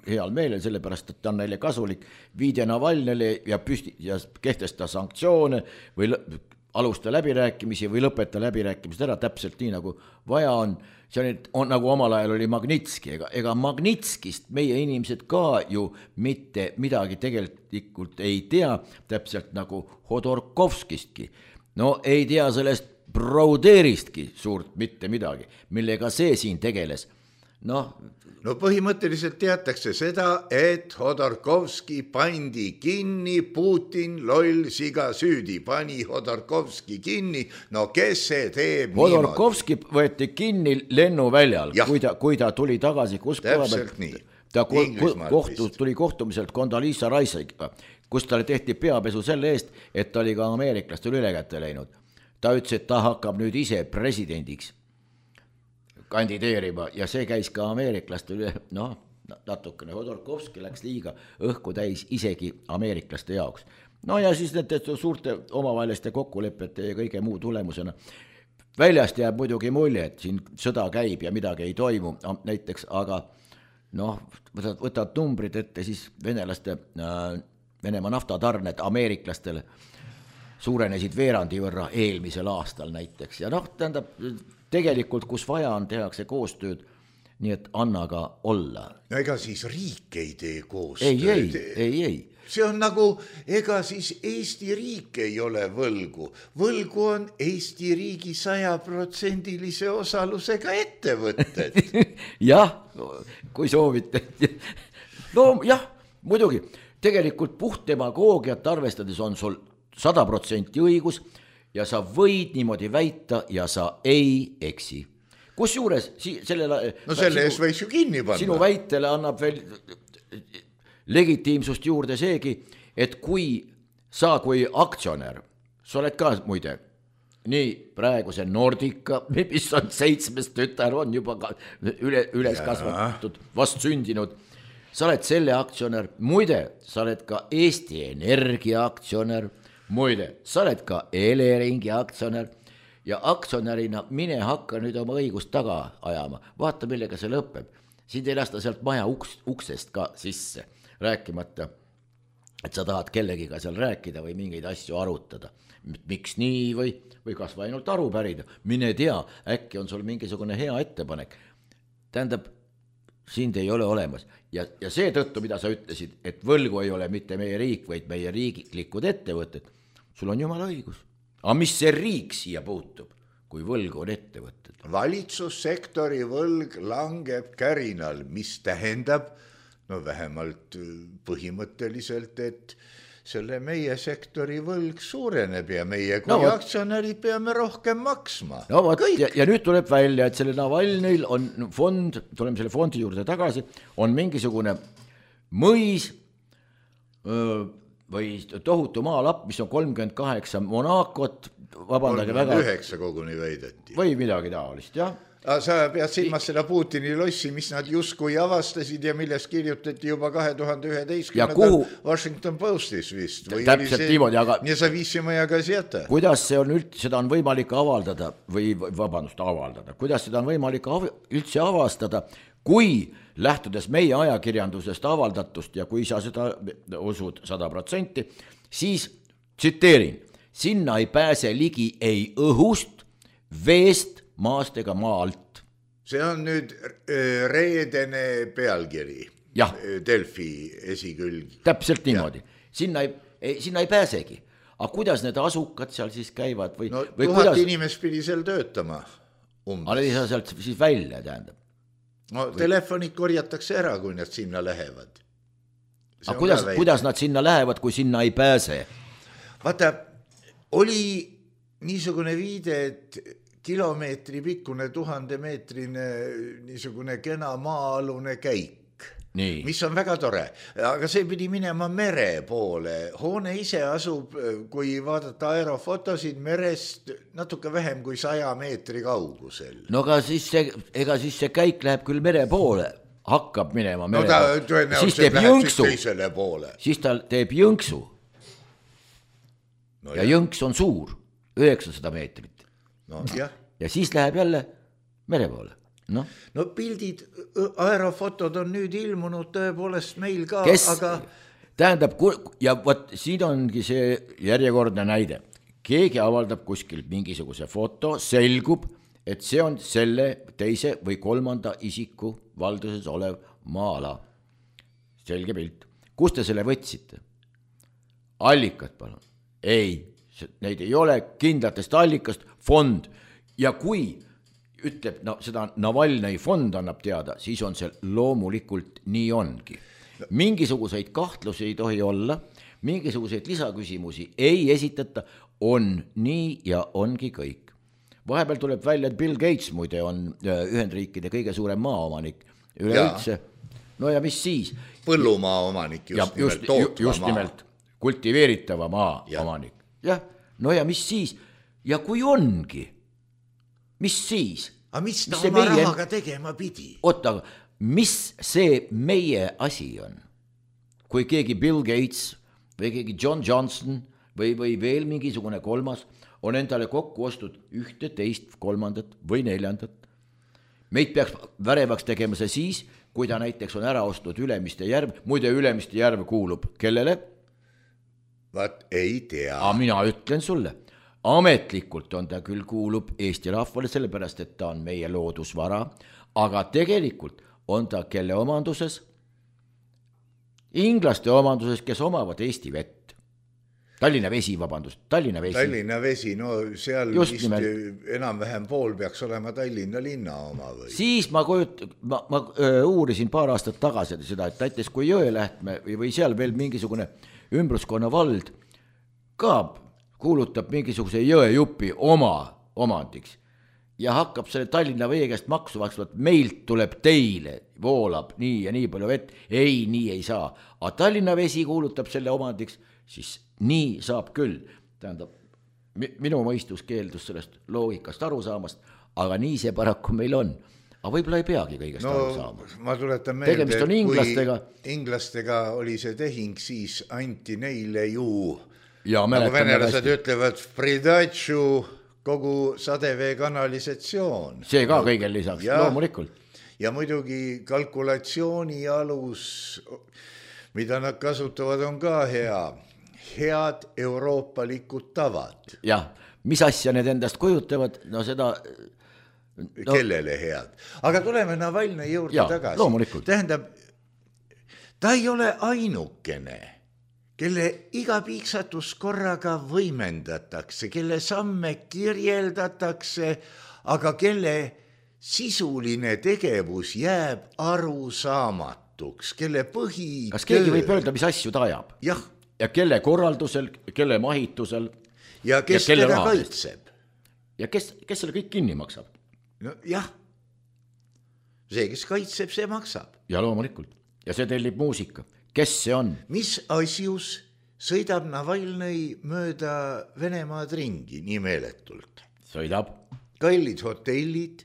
heal meelel, sellepärast, et ta on neile kasulik. Viide Navalnõile ja, püsti, ja kehtesta sanktsioone või alusta läbirääkimisi või lõpeta läbirääkimist ära täpselt nii, nagu vaja on. See on, on nagu omal ajal oli Magnitski, ega, ega Magnitskist meie inimesed ka ju mitte midagi tegelikult ei tea, täpselt nagu Hodorkovskistki. No ei tea sellest Brouderistki suurt mitte midagi, millega see siin tegeles. noh. no põhimõtteliselt teatakse seda, et Hodorkovski pandi kinni, Putin loll siga süüdi, pani Hodorkovski kinni, no kes see teeb Hodorkovski niimoodi? Võeti kinni lennuväljal, kui ta, kui ta tuli tagasi, kus täpselt nii. Ta kohtu, tuli kohtumiselt Condoleezza Rice'iga, kus talle tehti peapesu selle eest, et ta oli ka ameeriklastel üle kätte läinud. Ta ütles, et ta hakkab nüüd ise presidendiks kandideerima ja see käis ka ameeriklaste üle, noh, natukene Hodorkovski läks liiga õhku täis isegi ameeriklaste jaoks. No ja siis need suurte omavaheliste kokkulepete ja kõige muu tulemusena väljast jääb muidugi mulje, et siin sõda käib ja midagi ei toimu näiteks, aga noh, võtad, võtad numbrid ette, siis venelaste, Venemaa naftatarned ameeriklastele suurenesid veerandi võrra eelmisel aastal näiteks ja noh, tähendab, tegelikult kus vaja on, tehakse koostööd, nii et anna ka olla. No ega siis riik ei tee koostööd. Ei, ei, ei, ei. See on nagu, ega siis Eesti riik ei ole võlgu. Võlgu on Eesti riigi sajaprotsendilise osalusega ettevõtted. jah, kui soovite. no jah, muidugi, tegelikult puht demagoogiat arvestades on sul sada protsenti õigus ja sa võid niimoodi väita ja sa ei eksi. Kus juures si, sellele, no selle ees võiks ju kinni panna. Sinu väitele annab veel legitiimsust juurde seegi, et kui sa kui aktsionär, sa oled ka muide, nii praegu see Nordica, mis on seitsmes tütar, on juba üle, üles kasvatatud, vast sündinud, sa oled selle aktsionär, muide, sa oled ka Eesti Energia aktsionär, muide, sa oled ka Eleringi aktsionär ja aktsionärina mine hakka nüüd oma õigust taga ajama. Vaata, millega see lõpeb. Siin ei lasta sealt maja uks, uksest ka sisse, rääkimata, et sa tahad kellegiga seal rääkida või mingeid asju arutada. Miks nii või, või kas või ainult aru pärida. Mine tea, äkki on sul mingisugune hea ettepanek. Tähendab, sind ei ole olemas. Ja, ja see tõttu, mida sa ütlesid, et võlgu ei ole mitte meie riik, vaid meie riigiklikud ettevõtted, sul on jumala õigus. Aga mis see riik siia puutub, kui võlgu on ettevõtted? Valitsussektori võlg langeb kärinal, mis tähendab, no vähemalt põhimõtteliselt, et selle meie sektori võlg suureneb ja meie kui no, aktsionärid peame rohkem maksma. No võt, ja, ja nüüd tuleb välja, et selle Navalnõil on fond, tuleme selle fondi juurde tagasi, on mingisugune mõis öö, või tohutu maalapp, mis on kolmkümmend kaheksa Monacot, vabandage väga. kolmkümmend üheksa koguni väideti. Või midagi taolist, jah. Sa pead silmas seda Putini lossi, mis nad justkui avastasid ja millest kirjutati juba kahe tuhande üheteistkümnendal kuhu... Washington Postis vist. Täpselt see... niimoodi, aga... Nezavissimaya gazeta. Kuidas see on üld... seda on võimalik avaldada või vabandust avaldada, kuidas seda on võimalik av... üldse avastada, kui lähtudes meie ajakirjandusest avaldatust ja kui sa seda usud sada protsenti, siis tsiteerin, sinna ei pääse ligi ei õhust, veest, maast ega maa alt. See on nüüd reedene pealkiri. Jah. Delfi esikülg. Täpselt niimoodi. Sinna ei, ei, sinna ei pääsegi. Aga kuidas need asukad seal siis käivad? Või, no või tuhat kuidas... inimest pidi seal töötama. Aga ei saa sealt siis välja, tähendab. No või... telefonid korjatakse ära, kui nad sinna lähevad. Aga kuidas, kuidas nad sinna lähevad, kui sinna ei pääse? Vaata, oli niisugune viide, et kilomeetri pikkune tuhandemeetrine niisugune kena maa-alune käik, nii. Mis on väga tore, aga see pidi minema mere poole. Hoone ise asub, kui vaadata aerofotosid, merest natuke vähem kui saja meetri kaugusel. No aga siis see, ega siis see käik läheb küll mere poole, hakkab minema mere no poole. Ta, siis teeb jõnksu. Siis ta teeb jõnksu. No ja jah. Jõnks on suur, üheksasada meetrit. No, jah. Ja siis läheb jälle mere poole. No, no pildid, aerofotod on nüüd ilmunud tõepoolest meil ka. Kes, aga... tähendab, ja võt, siin ongi see järjekordne näide. Keegi avaldab kuskil mingisuguse foto, selgub, et see on selle teise või kolmanda isiku valduses olev maa-ala. Selge pilt. Kus te selle võtsite? Allikad, palun. Ei, neid ei ole kindlatest allikast, fond. Ja kui ütleb, no seda Navalnõi fond annab teada, siis on see loomulikult nii ongi. Mingisuguseid kahtlusi ei tohi olla, mingisuguseid lisaküsimusi ei esitata, on nii ja ongi kõik. Vahepeal tuleb välja, et Bill Gates muide on Ühendriikide kõige suurem maaomanik üleüldse. No ja mis siis? Põllumaa omanik, just, just nimelt tootva just maa. Nimelt kultiveeritava maa ja. Omanik. Jah, no ja mis siis? Ja kui ongi, mis siis? Aga mis ta mis oma meie... rahaga tegema pidi? Oota, mis see meie asi on? Kui keegi Bill Gates või keegi John Johnson või, või veel mingisugune kolmas on endale kokku ostud ühte, teist, kolmandat või neljandat. Meid peaks värevaks tegema see siis, kui ta näiteks on ära ostnud Ülemiste järv, muide Ülemiste järv kuulub kellele? Vaat ei tea. Aga mina ütlen sulle, ametlikult on ta küll kuulub Eesti rahvale, sellepärast, et ta on meie loodusvara, aga tegelikult on ta kelle omanduses? Inglaste omanduses, kes omavad Eesti vett. Tallinna vesi, vabandust, Tallinna vesi. Tallinna vesi, no seal vist enam-vähem pool peaks olema Tallinna linna oma või? Siis ma, kujut, ma, ma öö, uurisin paar aastat tagasi seda, et näiteks kui Jõelähtme või, või seal veel mingisugune ümbruskonna vald ka kuulutab mingisuguse jõejupi oma omandiks ja hakkab selle Tallinna vee käest maksu maksma, et meilt tuleb teile, voolab nii ja nii palju vett, ei, nii ei saa. Aga Tallinna vesi kuulutab selle omandiks, siis nii saab küll. Tähendab, minu mõistus keeldus sellest loogikast aru saamast, aga nii see paraku meil on. Aga võib-olla ei peagi kõigest no, aru saama. Ma tuletan meelde, tegemist on inglastega. Kui inglastega oli see tehing, siis anti neile ju, ja, nagu venelased ütlevad, pridatšu kogu sadevee kanalisatsioon. See ka kõigel lisaks, ja, loomulikult. Ja muidugi kalkulatsiooni alus, mida nad kasutavad, on ka hea. Head euroopalikud tavad. Jah, mis asja need endast kujutavad, no seda... No, kellele head. Aga tuleme Navalnõi juurde ja, tagasi. Loomulikult. Tähendab, ta ei ole ainukene, kelle iga piiksatus korraga võimendatakse, kelle samme kirjeldatakse, aga kelle sisuline tegevus jääb arusaamatuks, kelle põhi... Kas keegi võib öelda, mis asju ta ajab? Jah. Ja kelle korraldusel, kelle mahitusel. Ja kes ja teda kaitseb. Ja kes, kes selle kõik kinni maksab? No jah, see, kes kaitseb, see maksab. Ja loomulikult. Ja see tellib muusika. Kes see on? Mis asjus sõidab Navalnõi mööda Venemaad ringi nii meeletult? Sõidab. Kallid hotellid,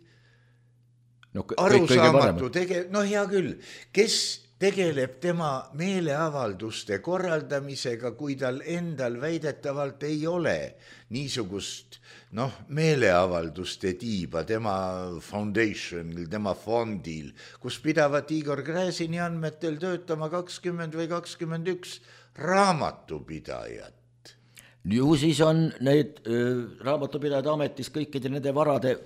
no, arusaamatu tege-, no hea küll, kes tegeleb tema meeleavalduste korraldamisega, kui tal endal väidetavalt ei ole niisugust noh, meeleavalduste tiiba tema foundationil, tema fondil, kus pidavat Igor Gräzini andmetel töötama kakskümmend või kakskümmend üks raamatupidajat. Ju siis on need äh, raamatupidajad ametis kõikide nende varade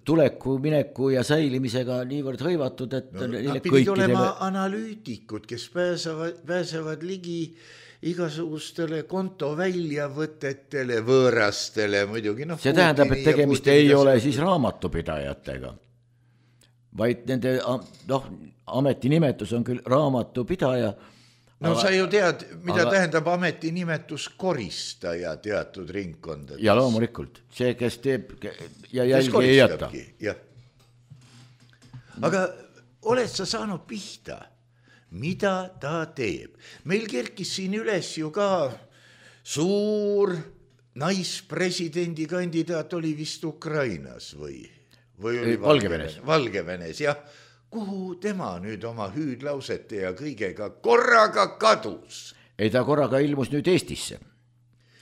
tuleku, mineku ja säilimisega niivõrd hõivatud, et no, nad pidid olema analüütikud, kes pääsevad, pääsevad ligi igasugustele konto väljavõtetele, võõrastele muidugi. No, see tähendab, et tegemist ei ole siis raamatupidajatega, vaid nende noh, ametinimetus on küll raamatupidaja. No aga, sa ju tead, mida aga, tähendab ametinimetus koristaja teatud ringkondades. Ja loomulikult, see, kes teeb ja jälgi ei jäta. Ja. Aga oled sa saanud pihta, mida ta teeb? Meil kerkis siin üles ju ka suur naispresidendi kandidaat oli vist Ukrainas või, või oli Valgevenes. Valgevenes, jah. Kuhu tema nüüd oma hüüdlausete ja kõigega korraga kadus? Ei, ta korraga ilmus nüüd Eestisse.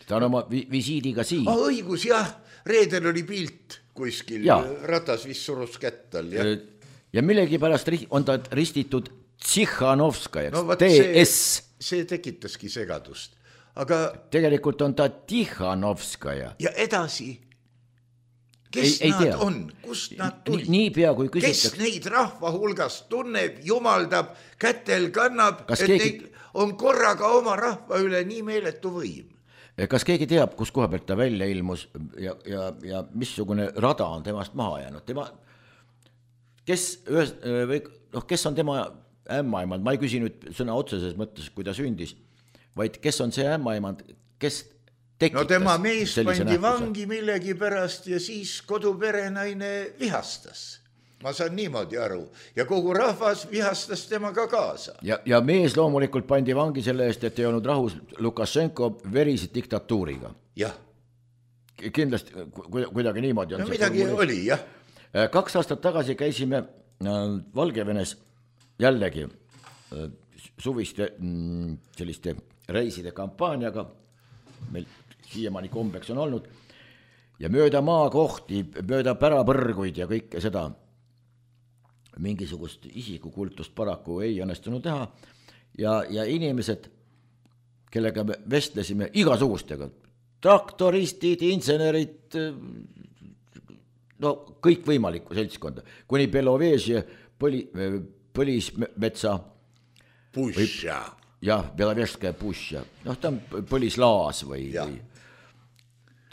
Ta on oma vi- visiidiga siin. Ah, õigus, jah. Reedel oli pilt kuskil, ja. Ratas vist surus kättal. Ja, ja millegi pärast on ta ristitud Tsihhanovskajaks, no, T S. See, see tekitaski segadust. Aga tegelikult on ta Tihhanovskaja. Ja edasi... Kes ei, ei nad tea. On? Kust nad tulid? Nii pea, kui küsitakse. Kes neid rahva hulgast tunneb, jumaldab, kätel kannab, Kas et keegi... neid on korraga oma rahva üle nii meeletu võim? kas keegi teab, kus koha pealt ta välja ilmus ja, ja, ja missugune rada on temast maha jäänud? Tema, kes, ühes, või, noh, kes on tema ämmaemand? Ma ei küsi nüüd sõna otseses mõttes, kui ta sündis, vaid kes on see ämmaemand, kes tekitas? No tema mees pandi nähtuse? vangi millegi pärast ja siis koduperenaine vihastas. Ma saan niimoodi aru. Ja kogu rahvas vihastas temaga kaasa. Ja, ja mees loomulikult pandi vangi selle eest, et ei olnud rahus Lukašenko verise diktatuuriga. Jah. Kindlasti kuidagi niimoodi on. No midagi oli, jah. Kaks aastat tagasi käisime Valgevenes jällegi suviste selliste reiside kampaaniaga, meil siiamaani kombeks on olnud, ja mööda maakohti, mööda pärapõrguid ja kõike seda mingisugust isikukultust paraku ei õnnestunud teha ja, ja inimesed, kellega me vestlesime igasugustega, traktoristid, insenerid, no kõik võimalikku seltskonda, kuni Belovežje põli, põlismetsa Pušša. Jah, Belovežskaja Pušša, noh ta on põlislaas või, või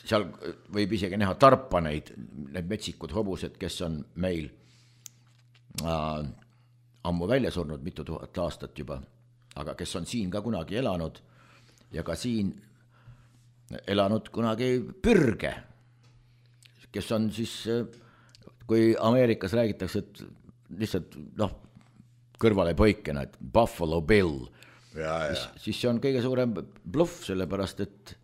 seal võib isegi näha tarpaneid, need metsikud hobused, kes on meil Äh, ammu välja surnud mitu tuhat aastat juba, aga kes on siin ka kunagi elanud ja ka siin elanud kunagi pürge, kes on siis, kui Ameerikas räägitakse, et lihtsalt noh, kõrvale poikena, et Buffalo Bill, ja, ja. Siis, siis see on kõige suurem bluff, sellepärast et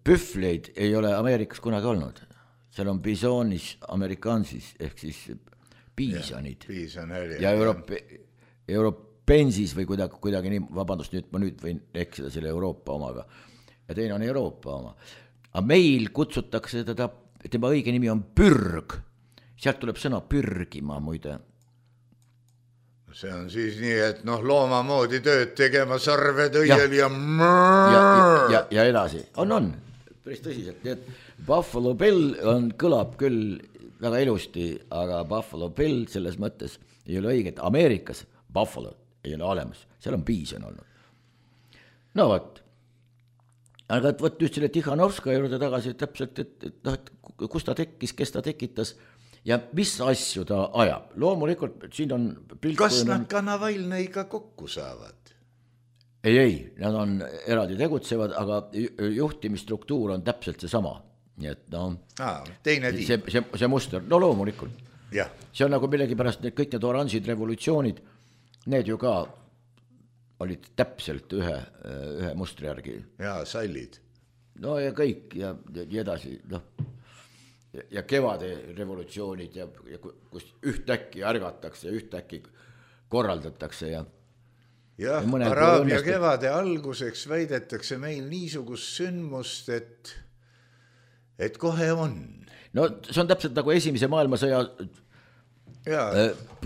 pühvleid ei ole Ameerikas kunagi olnud, seal on bisonis amerikansis ehk siis piisonid ja, ja Euroopa, Euroopensis või kuidagi, kuidagi nii, vabandust, nüüd ma nüüd võin eksida selle Euroopa omaga ja teine on Euroopa oma. Aga meil kutsutakse teda, tema õige nimi on pürg, sealt tuleb sõna pürgima muide. See on siis nii, et noh, looma moodi tööd tegema sarved õiel ja, ja, ja, ja, ja edasi. On, on, päris tõsiselt, nii et Buffalo Bill on, kõlab küll väga ilusti, aga Buffalo Bill selles mõttes ei ole õige, et Ameerikas Buffalo ei ole olemas, seal on piison olnud. No võt, aga et võt just selle Tihhanovska juurde tagasi täpselt, et, et, noh, et kus ta tekkis, kes ta tekitas ja mis asju ta ajab. Loomulikult siin on pilt, kas nad ka Navalnõiga kokku saavad? Ei, ei, nad on eraldi tegutsevad, aga juhtimisstruktuur on täpselt see sama. Nii et no, Aa, teine see, see, see muster, no loomulikult. Ja. See on nagu millegi pärast need kõik need oranžid revolutsioonid, need ju ka olid täpselt ühe, ühe mustri järgi. Jaa, sallid. No ja kõik ja, ja, ja edasi, noh. Ja, ja kevade revolutsioonid ja, ja kus ühtäkki ärgatakse, ühtäkki korraldatakse ja jah, ja Araabia kevade alguseks väidetakse meil niisugust sündmust, et et kohe on. No see on täpselt nagu esimese maailmasõja jaa,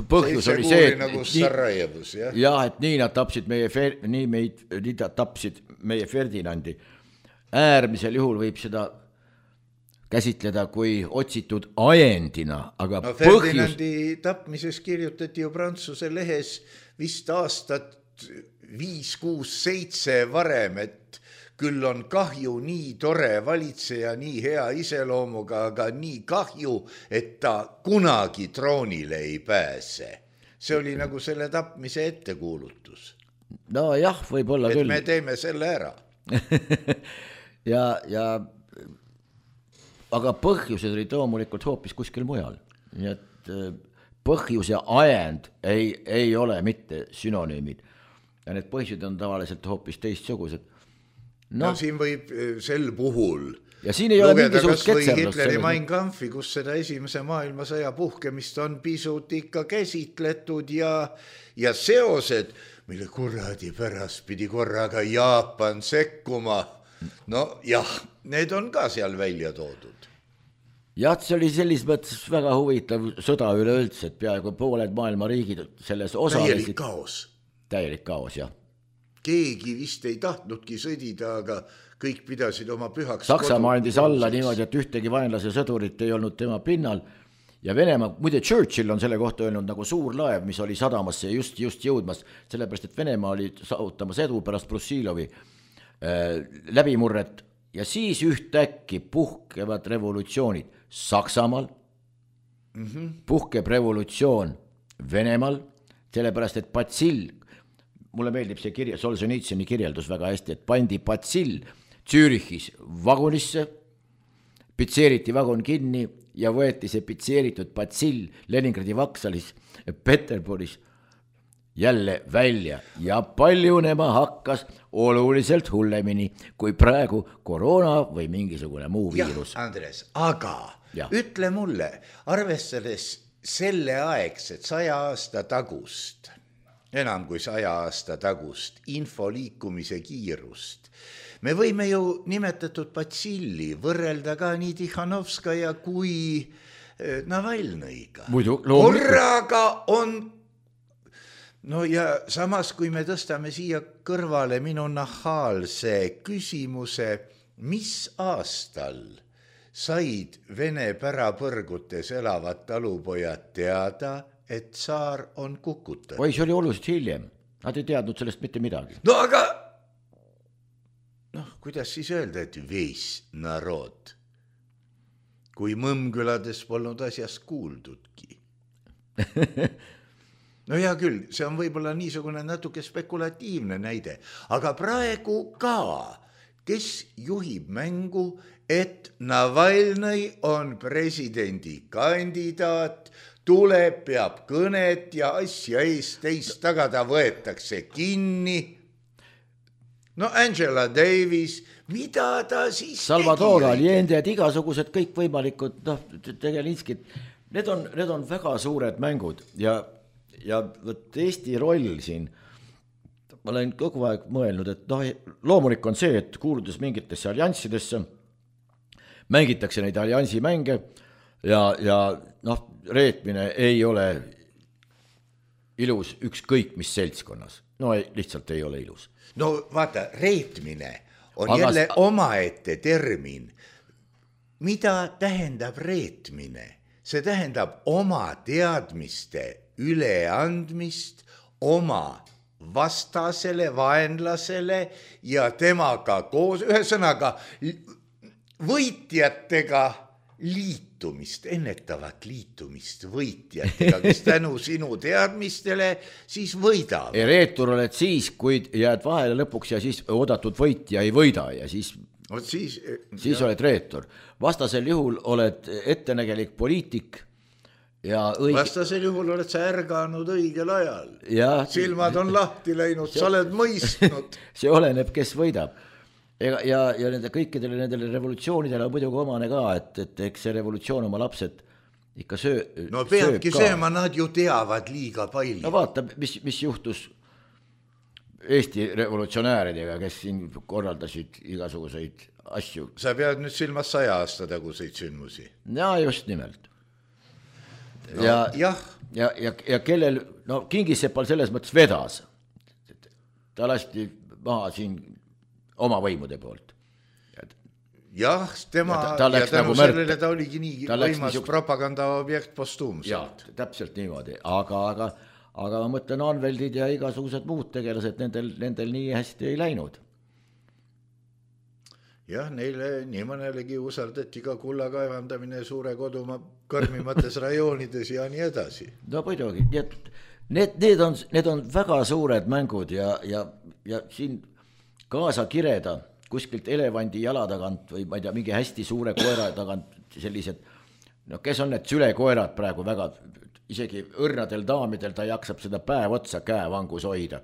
põhjus oli see, et, nagu Sarajevus, jah. jah, et nii nad tapsid meie, nii meid, nii nad tapsid meie Ferdinandi. Äärmisel juhul võib seda käsitleda kui otsitud ajendina, aga no, Ferdinandi põhjus... tapmises kirjutati ju Prantsuse lehes vist aastat viis, kuus, seitse varem, et küll on kahju nii tore valitseja, nii hea iseloomuga, aga nii kahju, et ta kunagi troonile ei pääse. See oli nagu selle tapmise ettekuulutus. No jah, võib olla et küll. Et me teeme selle ära. ja, ja aga põhjused olid loomulikult hoopis kuskil mujal. Nii et põhjus ja ajend ei, ei ole mitte synonüümid. Ja need põhjused on tavaliselt hoopis teistsugused. No, no siin võib sel puhul ja siin ei ole mingisugust ketserlust. Hitleri Mein Kampfi, kus seda esimese maailmasõja puhkemist on pisut ikka käsitletud ja, ja seosed, mille kuradi pärast pidi korraga Jaapan sekkuma. No jah, need on ka seal välja toodud. Jah, see oli sellis mõttes väga huvitav sõda üleüldse, et peaaegu pooled maailma riigid selles osalesid. Täielik kaos. Täielik kaos, jah. Keegi vist ei tahtnudki sõdida, aga kõik pidasid oma pühaks. Saksamaa andis alla niimoodi, et ühtegi vaenlase sõdurit ei olnud tema pinnal ja Venemaa, muide Churchill on selle kohta öelnud nagu suur laev, mis oli sadamasse just, just jõudmas, sellepärast, et Venemaa oli saavutamas edu pärast Brussilovi läbimurret ja siis ühtäkki puhkevad revolutsioonid Saksamaal, mm-hmm. puhkeb revolutsioon Venemaal, sellepärast et patsill, mulle meeldib see kirja, Solženitsõni kirjeldus väga hästi, et pandi patsill Zürichis vagunisse, pitseeriti vagun kinni ja võeti see pitseeritud patsill Leningradi vaksalis Peterburis jälle välja ja paljunema hakkas oluliselt hullemini kui praegu koroona või mingisugune muu viirus. jah, Andres, aga ja. ütle mulle, arvestades selle aegset saja aasta tagust, enam kui saja aasta tagust info liikumise kiirust, me võime ju nimetatud patsilli võrrelda ka nii Tihhanovskaja kui Navalnõiga. korraga on no ja samas, kui me tõstame siia kõrvale minu nahaalse küsimuse, mis aastal said Vene pärapõrgutes elavad talupojad teada, et tsaar on kukutatud? oi, see oli oluliselt hiljem. Nad ei teadnud sellest mitte midagi. No aga, noh, kuidas siis öelda, et veis narod, kui Mõmmkülades polnud asjast kuuldudki? No hea küll, see on võib-olla niisugune natuke spekulatiivne näide, aga praegu ka, kes juhib mängu, et Navalnõi on presidendikandidaat, tuleb, peab kõnet ja asja eest teist tagada võetakse kinni. No Angela Davis, mida ta siis Salvador Allende, igasugused kõikvõimalikud, noh, Tegelinskid, need on, need on väga suured mängud ja ja võt Eesti roll siin, ma olen kogu aeg mõelnud, et noh, loomulik on see, et kuuludes mingitesse allianssidesse, mängitakse neid alliansi mänge ja, ja noh, reetmine ei ole ilus ükskõik mis seltskonnas. No ei, lihtsalt ei ole ilus. No vaata, reetmine on Aga... jälle omaette termin. Mida tähendab reetmine? See tähendab oma teadmiste üleandmist oma vastasele, vaenlasele ja temaga koos, ühesõnaga võitjatega liitumist, ennetavat liitumist võitjatega, kes tänu sinu teadmistele siis võidab. Reetur oled siis, kui jääd vahele lõpuks ja siis oodatud võitja ei võida ja siis, siis, siis oled reetur. Vastasel juhul oled ettenägelik poliitik ja õige... vastasel juhul oled sa ärganud õigel ajal. Ja... silmad on lahti läinud, sa oled mõistnud. See oleneb, kes võidab. Ja, ja, ja nende kõikidele nendele revolutsioonidele on muidugi omane ka, et, et eks see revolutsioon oma lapsed ikka söö, no peabki sööma, nad ju teavad liiga palju. No vaata, mis, mis juhtus Eesti revolutsionääridega, kes siin korraldasid igasuguseid asju. Sa pead nüüd silmas saja aasta taguseid sündmusi. Ja just nimelt. No, ja, jah. Ja, ja, ja kellel, no Kingisepal selles mõttes vedas. Ta lasti maha siin oma võimude poolt. Jah, tema ja, ta, ta ja tänu nagu sellele ta oligi nii võimas niisug... propaganda objekt postuumselt. Ja, täpselt niimoodi, aga, aga, aga ma mõtlen Anveldid ja igasugused muud tegelased, nendel, nendel nii hästi ei läinud. Jah, neile nii mõnelegi usaldati ka kulla kaevandamine suure kodumaa karmimates rajoonides ja nii edasi. No muidugi, need, need, on, need on väga suured mängud ja, ja, ja siin kaasa kireda kuskilt elevandi jala tagant või ma ei tea, mingi hästi suure koera tagant sellised, no kes on need sülekoerad praegu väga, isegi õrnadel daamidel ta jaksab seda päev otsa käevangus hoida.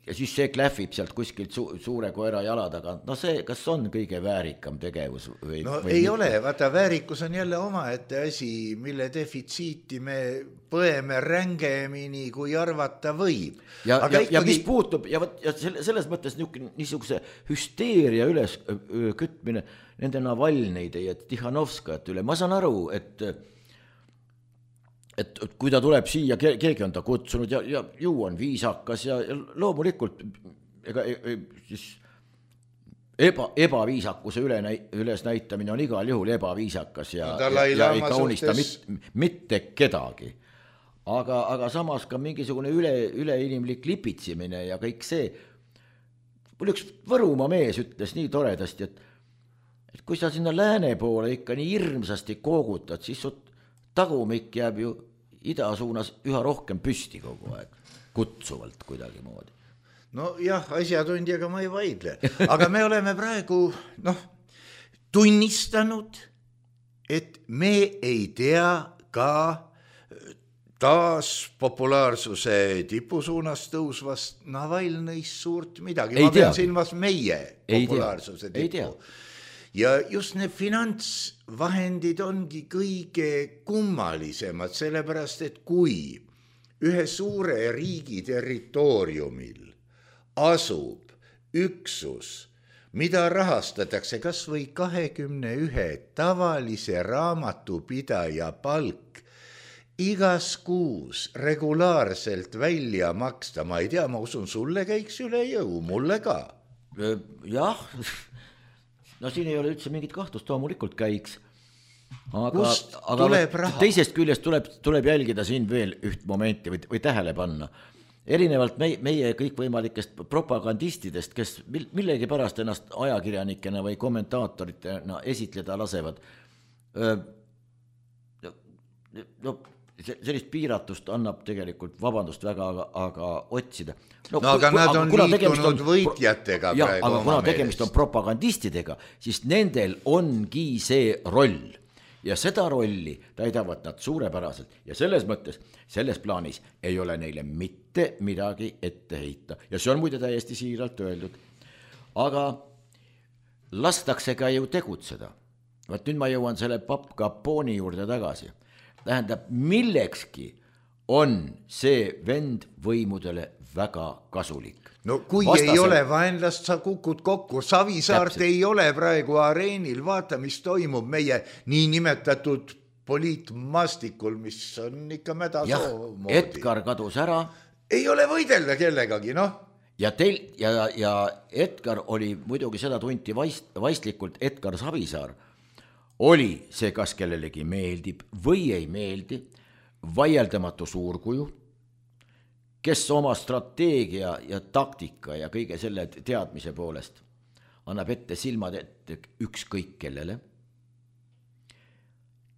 Ja siis see klähvib sealt kuskilt su- suure koera jala tagant. No see, kas on kõige väärikam tegevus? Või, no või ei mitte? ole, vaata väärikkus on jälle omaette asi, mille defitsiiti me põeme rängemini, kui arvata võib. Ja, ja, ikkagi... ja mis puutub, ja, võt, ja selles mõttes niisuguse hüsteeria üles kütmine nende Navalnõide ja Tihhanovskajate üle, ma saan aru, et et kui ta tuleb siia, keegi on ta kutsunud ja, ja ju on viisakas ja, ja loomulikult ega, siis eba, ebaviisakuse üle, üles näitamine on igal juhul ebaviisakas ja, no, ja, ja ei kaunista suhtes... mit, mitte kedagi. Aga, aga samas ka mingisugune üle, üleinimlik lipitsimine ja kõik see, mul üks Võrumaa mees ütles nii toredasti, et, et kui sa sinna lääne poole ikka nii hirmsasti koogutad, siis su tagumik jääb ju ida suunas üha rohkem püsti kogu aeg, kutsuvalt kuidagi moodi. No jah, asjatundjaga ma ei vaidle, aga me oleme praegu noh, tunnistanud, et me ei tea ka taas populaarsuse tipusuunas tõusvast Navalnõist suurt midagi. Ei ma pean tea. silmas meie Ei populaarsuse tea. Ei tipu. tea. Ja just need finantsvahendid ongi kõige kummalisemad, sellepärast, et kui ühe suure riigi territooriumil asub üksus, mida rahastatakse kas või kahekümne ühe tavalise raamatupidaja palk, igas kuus regulaarselt välja maksta, ma ei tea, ma usun, sulle käiks üle jõu, mulle ka. Jah, no siin ei ole üldse mingit kahtlust, loomulikult käiks. Aga, Kust aga tuleb raha? Teisest küljest tuleb, tuleb jälgida siin veel üht momenti või, või tähele panna. Erinevalt meie, meie kõikvõimalikest propagandistidest, kes millegi pärast ennast ajakirjanikena või kommentaatoritena esitleda lasevad. No sellist piiratust annab tegelikult, vabandust väga, aga, aga otsida. No, no aga nad on liitunud võitjatega ja, praegu aga oma kuna tegemist on propagandistidega, siis nendel ongi see roll. Ja seda rolli täidavad nad suurepäraselt ja selles mõttes, selles plaanis ei ole neile mitte midagi ette heita. Ja see on muide täiesti siiralt öeldud. Aga lastakse ka ju tegutseda. Vaat nüüd ma jõuan selle papp Caponi juurde tagasi. Tähendab, millekski on see vend võimudele väga kasulik. No kui Vastasel... ei ole vaenlast, sa kukud kokku. Savisaart Täpselt. Ei ole praegu areenil, vaata, mis toimub meie niinimetatud poliitmastikul, mis on ikka mädasoo moodi. Edgar kadus ära. Ei ole võidelda kellegagi, noh. Ja, teil, ja, ja Edgar oli muidugi seda tunti vaist, vaistlikult, Edgar Savisaar oli see, kas kellelegi meeldib või ei meeldi, vaieldamatu suurkuju, kes oma strateegia ja taktika ja kõige selle teadmise poolest annab ette silmad ette ükskõik kellele,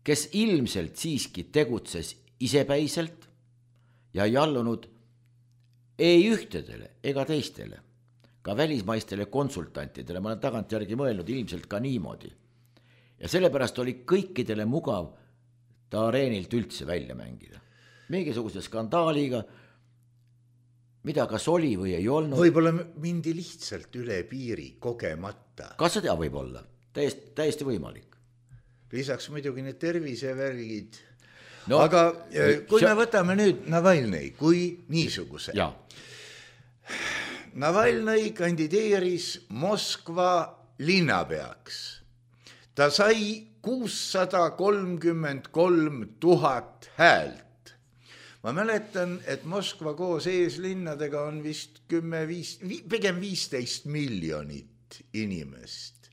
kes ilmselt siiski tegutses isepäiselt ja ei allunud ei ühtedele ega teistele, ka välismaistele konsultantidele, ma olen tagantjärgi mõelnud ilmselt ka niimoodi. Ja sellepärast oli kõikidele mugav ta areenilt üldse välja mängida. Mingisuguse skandaaliga, mida kas oli või ei olnud. Võib-olla mindi lihtsalt üle piiri kogemata. Kas seda võib olla? Täiesti, täiesti võimalik. Lisaks muidugi need tervisevärgid. No, aga kui see... me võtame nüüd Navalnõi kui niisuguse. Ja. Navalnõi kandideeris Moskva linnapeaks. Ta sai kuussada kolmkümmend kolm tuhat häält. Ma mäletan, et Moskva koos eeslinnadega on vist kümme, viis, pigem viisteist miljonit inimest.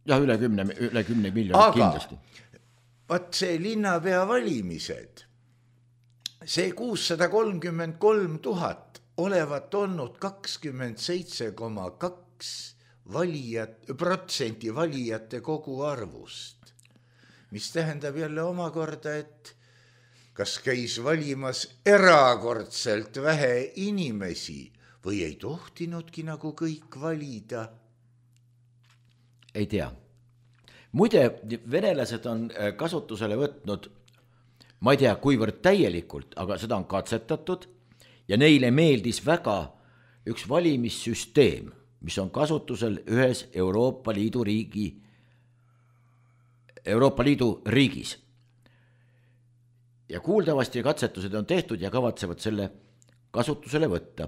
Ja üle kümne, üle kümne miljonit aga, kindlasti. Vaat see linnapea valimised, see kuussada kolmkümmend kolm tuhat olevat olnud kakskümmend seitse koma kaks valijat, protsenti valijate kogu arvust, mis tähendab jälle omakorda, et kas käis valimas erakordselt vähe inimesi või ei tohtinudki nagu kõik valida? Ei tea. Muide, venelased on kasutusele võtnud, ma ei tea, kuivõrd täielikult, aga seda on katsetatud ja neile meeldis väga üks valimissüsteem, mis on kasutusel ühes Euroopa Liidu riigi, Euroopa Liidu riigis. Ja kuuldavasti katsetused on tehtud ja kavatsevad selle kasutusele võtta.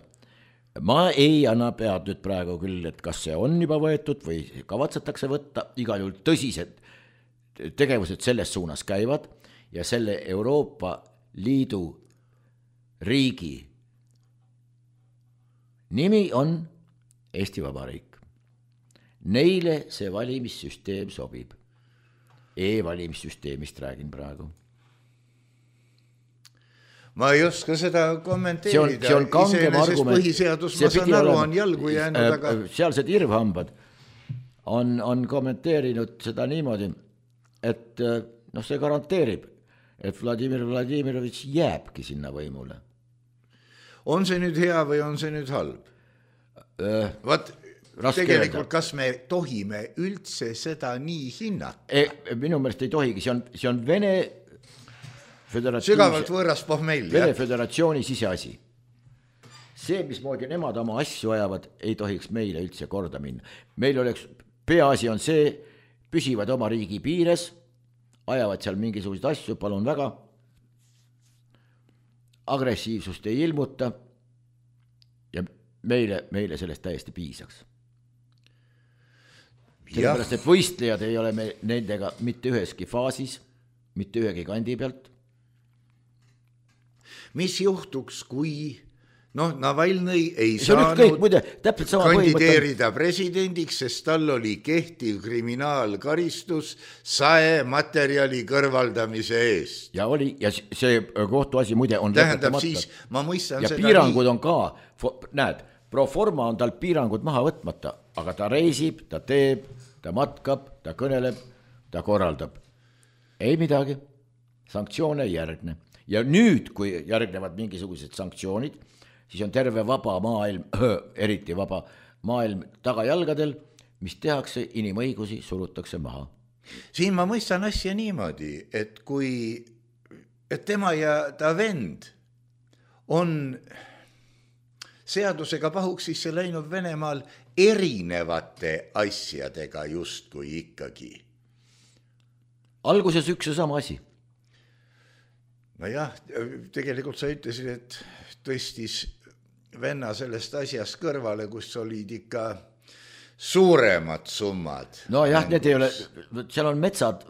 Ma ei anna pead nüüd praegu küll, et kas see on juba võetud või kavatsetakse võtta, igal juhul tõsised tegevused selles suunas käivad ja selle Euroopa Liidu riigi nimi on Eesti Vabariik. Neile see valimissüsteem sobib. E-valimissüsteemist räägin praegu. ma ei oska seda kommenteerida. See on, see on kangem argument. Põhiseadus, ma saan aru, on jalgu jäänud, aga... Sealsed irvhambad on, on kommenteerinud seda niimoodi, et noh, see garanteerib, et Vladimir Vladimirovitš jääbki sinna võimule. On see nüüd hea või on see nüüd halb? Äh, Vaat, tegelikult, kas me tohime üldse seda nii hinnata? E, minu meelest ei tohigi, see on, see on Vene sügavalt võõras pohmell. Vene föderatsiooni siseasi. See, mismoodi nemad oma asju ajavad, ei tohiks meile üldse korda minna. Meil oleks, peaasi on see, püsivad oma riigi piires, ajavad seal mingisuguseid asju, palun väga, agressiivsust ei ilmuta ja meile, meile sellest täiesti piisaks. Sellepärast, et võistlejad ei ole me nendega mitte üheski faasis, mitte ühegi kandi pealt. Mis juhtuks, kui noh, Navalnõi ei see saanud kõik, muide, kandideerida presidendiks, sest tal oli kehtiv kriminaalkaristus sae materjali kõrvaldamise eest. Ja oli, ja see kohtuasi muide on tähendab siis, ma mõistan ja seda piirangud nii... on ka, näed, pro forma on tal piirangud maha võtmata, aga ta reisib, ta teeb, ta matkab, ta kõneleb, ta korraldab. Ei midagi, sanktsioone ei järgne. Ja nüüd, kui järgnevad mingisugused sanktsioonid, siis on terve vaba maailm, eriti vaba maailm tagajalgadel, mis tehakse, inimõigusi surutakse maha. Siin ma mõistan asja niimoodi, et kui et tema ja ta vend on seadusega pahuksisse läinud Venemaal erinevate asjadega justkui ikkagi. Alguses üks ja sama asi. No jah, tegelikult sa ütlesid, et tõstis venna sellest asjast kõrvale, kus olid ikka suuremad summad. No jah, need ei ole, seal on metsad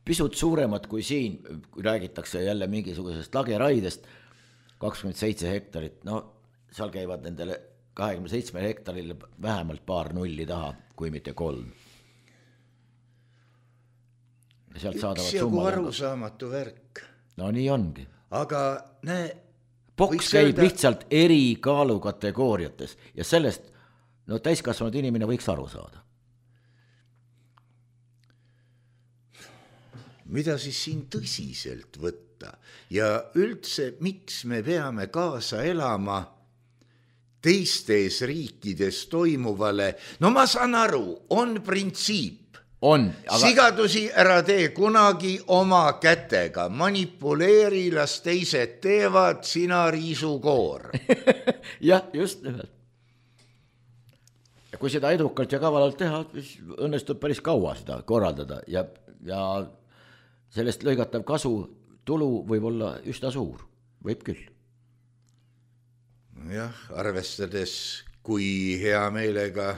pisut suuremad kui siin, kui räägitakse jälle mingisugusest lageraidest, kakskümmend seitse hektarit, no seal käivad nendele kahekümne seitsme hektarille vähemalt paar nulli taha, kui mitte kolm. Üks jagu arusaamatu värk. No nii ongi. Aga näe... Boks käib öelda... lihtsalt eri kaalukategooriates ja sellest no, täiskasvanud inimene võiks aru saada. Mida siis siin tõsiselt võtta ja üldse, miks me peame kaasa elama teistes riikides toimuvale? No ma saan aru, on printsiip. On, aga... Sigadusi ära tee kunagi oma kätega, manipuleeri, las teised teevad, sina riisu koor. jah, just nimelt. Ja kui seda edukalt ja kavalalt teha, siis õnnestub päris kaua seda korraldada ja, ja sellest lõigatav kasu tulu võib olla üsna suur, võib küll. Jah, arvestades, kui hea meelega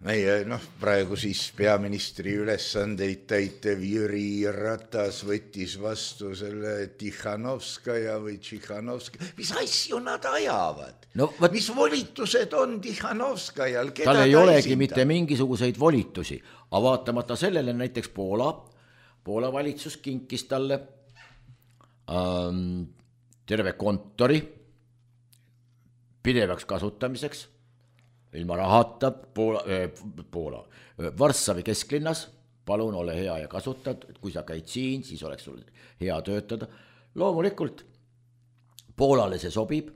meie, noh, praegu siis peaministri ülesandeid täitev Jüri Ratas võttis vastu selle Tihhanovskaja või Tšihhanovskaja. Mis asju nad ajavad? No, võt... Mis volitused on Tihhanovskajal? Tal ei olegi esinda? Mitte mingisuguseid volitusi, aga vaatamata sellele näiteks Poola, Poola valitsus kinkis talle ähm, terve kontori pidevaks kasutamiseks, ilma rahata Poola, Poola, Varssavi kesklinnas, palun ole hea ja kasutad, kui sa käid siin, siis oleks sul hea töötada. Loomulikult Poolale see sobib,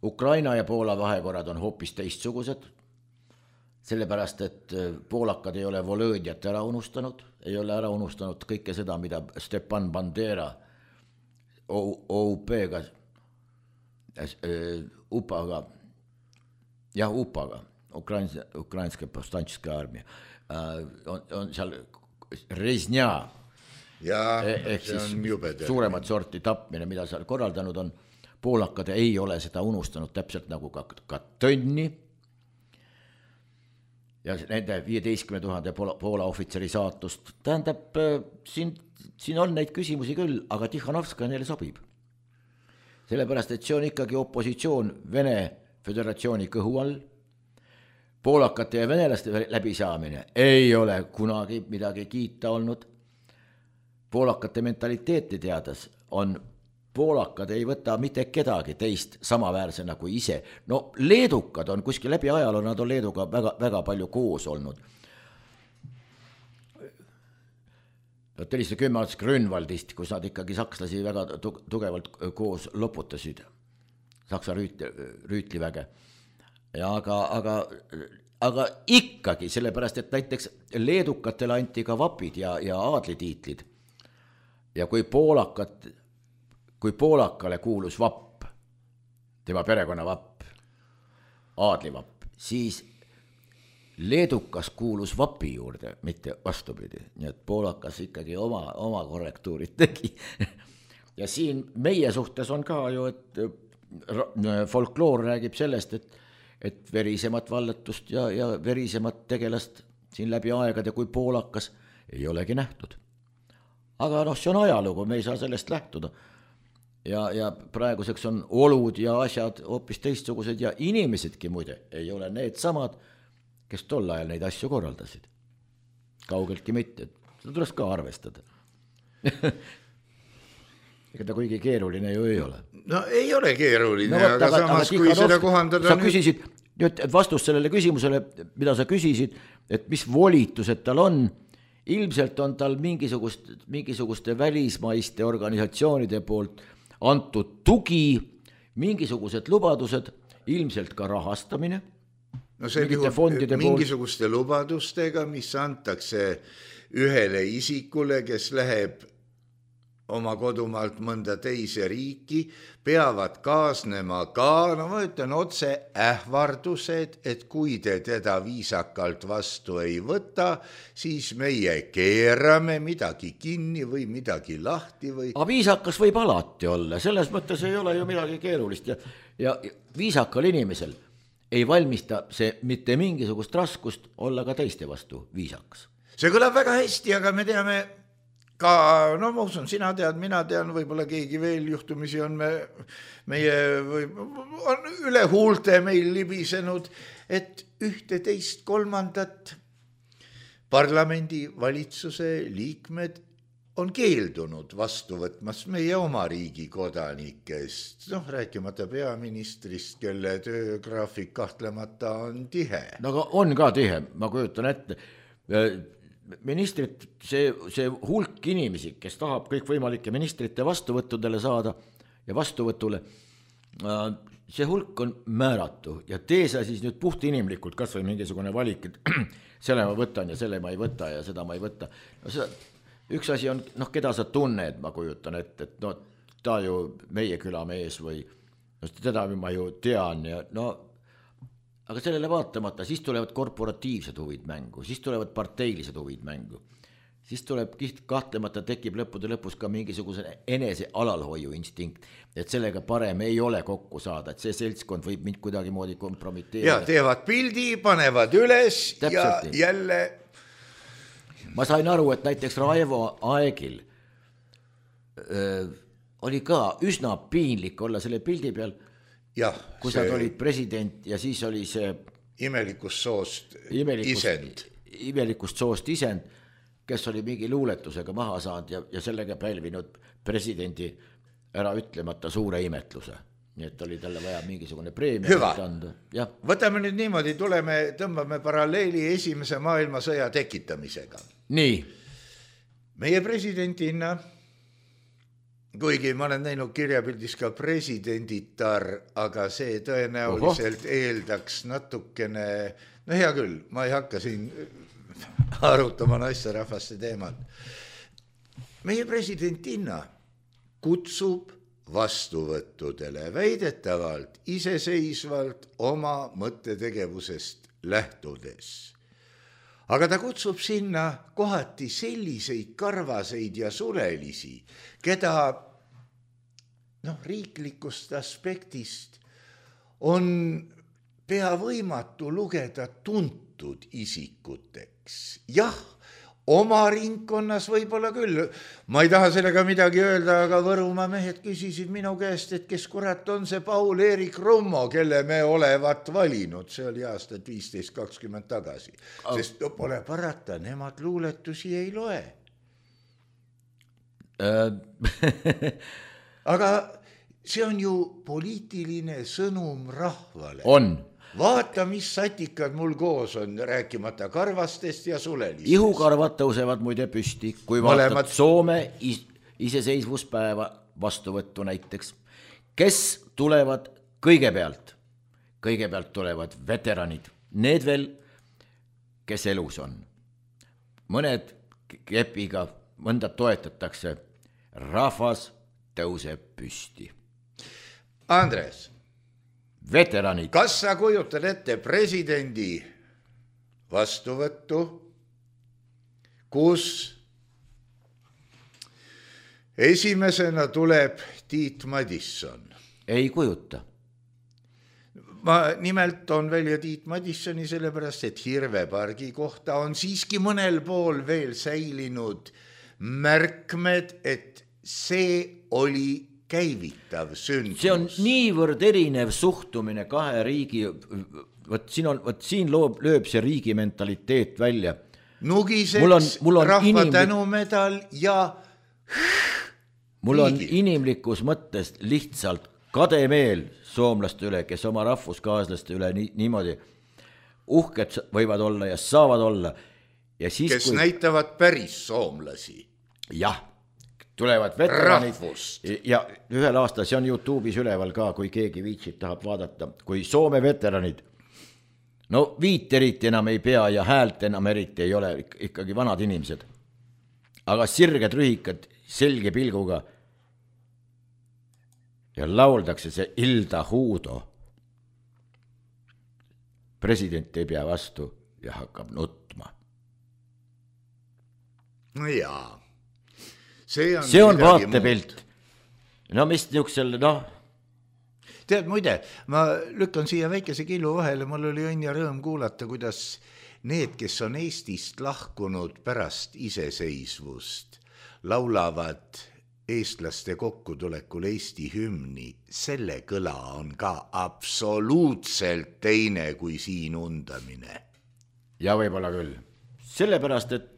Ukraina ja Poola vahekorrad on hoopis teistsugused, sellepärast, et poolakad ei ole Volõdjat ära unustanud, ei ole ära unustanud kõike seda, mida Stepan Bandera O U P-ga, U P A-ga, jah, U P A-ga, Ukrainska, Ukrainska povstančska armia, on, on seal Reznia, ja, ehk siis suuremat sorti tapmine, mida seal korraldanud on. Poolakad ei ole seda unustanud täpselt nagu ka, ka Tõnni ja nende viieteistkümne tuhande Poola, Poola ohvitseri saatust. Tähendab, siin, siin on neid küsimusi küll, aga Tihhanovska neile sobib. Sellepärast, et see on ikkagi opositsioon Vene Föderatsiooni kõhu all. Poolakate ja venelaste läbisaamine ei ole kunagi midagi kiita olnud. Poolakate mentaliteeti teades on poolakad ei võta mitte kedagi teist samaväärsena kui ise. No leedukad on kuskil läbi ajaloo, nad on Leeduga väga, väga palju koos olnud. Telised kümme aastas Grünwaldist, kus nad ikkagi sakslasi väga tugevalt koos loputasid, Saksa rüütli, rüütliväge. Ja aga, aga, aga ikkagi, sellepärast, et näiteks leedukatele anti ka vapid ja, ja aadlitiitlid. Ja kui poolakat, kui poolakale kuulus vapp, tema perekonna vapp, aadlivapp, siis leedukas kuulus vapi juurde, mitte vastupidi. Nii et poolakas ikkagi oma, oma korrektuurid tegi. Ja siin meie suhtes on ka ju, et folkloor räägib sellest, et, et verisemat vallatust ja, ja verisemat tegelast siin läbi aegade kui poolakas ei olegi nähtud. Aga noh, see on ajalugu, me ei saa sellest lähtuda. Ja, ja praeguseks on olud ja asjad hoopis teistsugused ja inimesedki muide ei ole need samad, kes tol ajal neid asju korraldasid. Kaugeltki mitte. Seda tuleks ka arvestada. Ega ta kuigi keeruline ju ei ole. No ei ole keeruline, no, aga, aga samas aga, kui seda kohandada... Sa nüüd... küsisid, nüüd vastust sellele küsimusele, mida sa küsisid, et mis volitused tal on, ilmselt on tal mingisugust, mingisuguste välismaiste organisatsioonide poolt antud tugi, mingisugused lubadused, ilmselt ka rahastamine. No see juhul mingisuguste poolt... lubadustega, mis antakse ühele isikule, kes läheb oma kodumaalt mõnda teise riiki, peavad kaasnema ka, no ma ütlen otse, ähvardused, et kui te teda viisakalt vastu ei võta, siis meie keerame midagi kinni või midagi lahti või... Aga viisakas võib alati olla, selles mõttes ei ole ju midagi keerulist ja, ja viisakal inimesel ei valmista see mitte mingisugust raskust olla ka teiste vastu viisakas. See kõlab väga hästi, aga me teame ka, no ma usun, sina tead, mina tean, võib-olla keegi veel juhtumisi on me, meie või, on üle huulte meil libisenud, et ühte teist kolmandat parlamendi valitsuse liikmed on keeldunud vastu võtmas meie oma riigi kodanikest, noh rääkimata peaministrist, kelle töögraafik kahtlemata on tihe. No aga on ka tihe, ma kujutan ette. Ministrit, see, see hulk inimesi, kes tahab kõik võimalike ministrite vastuvõttudele saada ja vastuvõtule, see hulk on määratu ja tee sa siis nüüd puht inimlikult kas või mingisugune valik, et selle ma võtan ja selle ma ei võta ja seda ma ei võta. No seda, üks asi on, noh, keda sa tunned, ma kujutan ette, et no, ta ju meie külamees või no, teda ma ju tean ja no aga sellele vaatamata, siis tulevad korporatiivsed huvid mängu, siis tulevad parteilised huvid mängu, siis tuleb kahtlemata tekib lõppude lõpus ka mingisuguse enese alalhoiu instinkt, et sellega parem ei ole kokku saada, et see seltskond võib mind kuidagi moodi kompromiteerida. Ja teevad pildi, panevad üles täpselt ja jälle... Ma sain aru, et näiteks Raivo Aegil öö, oli ka üsna piinlik olla selle pildi peal, jah, kui see... nad olid president ja siis oli see imelikust soost imelikust, isend. Imelikust soost isend, kes oli mingi luuletusega maha saanud ja, ja sellega pälvinud presidendi ära ütlemata suure imetluse. Nii et oli talle vaja mingisugune preemia. Hüva, ja. Võtame nüüd niimoodi, tuleme, tõmbame paralleeli esimese maailmasõja tekitamisega. Nii. Meie presidentina, kuigi ma olen näinud kirjapildis ka presidenditar, aga see tõenäoliselt Oho. eeldaks natukene, no hea küll, ma ei hakka siin arutama naisterahvaste teemat. Meie presidentina kutsub vastuvõttudele väidetavalt iseseisvalt oma mõttetegevusest lähtudes. Aga ta kutsub sinna kohati selliseid karvaseid ja sulelisi, keda noh, riiklikust aspektist on pea võimatu lugeda tuntud isikuteks. Jah, oma ringkonnas võib-olla küll. Ma ei taha sellega midagi öelda, aga Võrumaa mehed küsisid minu käest, et kes kurat on see Paul-Erik Rummo, kelle me olevat valinud. See oli aastat viisteist kakskümmend tagasi. Sest no, pole parata, nemad luuletusi ei loe. aga see on ju poliitiline sõnum rahvale. on. Vaata, mis satikad mul koos on, rääkimata karvastest ja sulelistest. Ihukarvad tõusevad muide püsti, kui vaatad Mõlemad... Soome is iseseisvuspäeva vastuvõttu näiteks. Kes tulevad kõigepealt? Kõigepealt tulevad veteranid, need veel, kes elus on. Mõned kepiga, mõnda toetatakse. Rahvas tõuseb püsti. Andres. Veteranid. Kas sa kujutad ette presidendi vastuvõttu, kus esimesena tuleb Tiit Madisson? Ei kujuta. Ma nimelt on välja Tiit Madissoni sellepärast, et Hirvepargi kohta on siiski mõnel pool veel säilinud märkmed, et see oli käivitav sündmus. See on niivõrd erinev suhtumine kahe riigi, võt siin, on, võt siin loob, lööb see riigi mentaliteet välja. Nugiseks mul on, mul on rahva inimlik... tänumedal ja mul on inimlikus mõttes lihtsalt kademeel soomlaste üle, kes oma rahvuskaaslaste üle nii, niimoodi uhked võivad olla ja saavad olla. Ja siis, kes kui... näitavad päris soomlasi. Jah. Tulevad veteranid ja ühel aastal, see on YouTube'is üleval ka, kui keegi viitsid tahab vaadata, kui Soome veteranid, no viit eriti enam ei pea ja häält enam eriti ei ole, ikkagi vanad inimesed, aga sirged rühikad selge pilguga ja lauldakse see Ilda Huudo. President ei pea vastu ja hakkab nutma. No jaa. See on, see on vaatepilt. No mis niuksel, noh. Tead, muide, ma lükkan siia väikese killu vahele, mul oli õnn ja rõõm kuulata, kuidas need, kes on Eestist lahkunud pärast iseseisvust, laulavad eestlaste kokkutulekul Eesti hümni. Selle kõla on ka absoluutselt teine kui siin undamine. Ja võib-olla küll. Sellepärast, et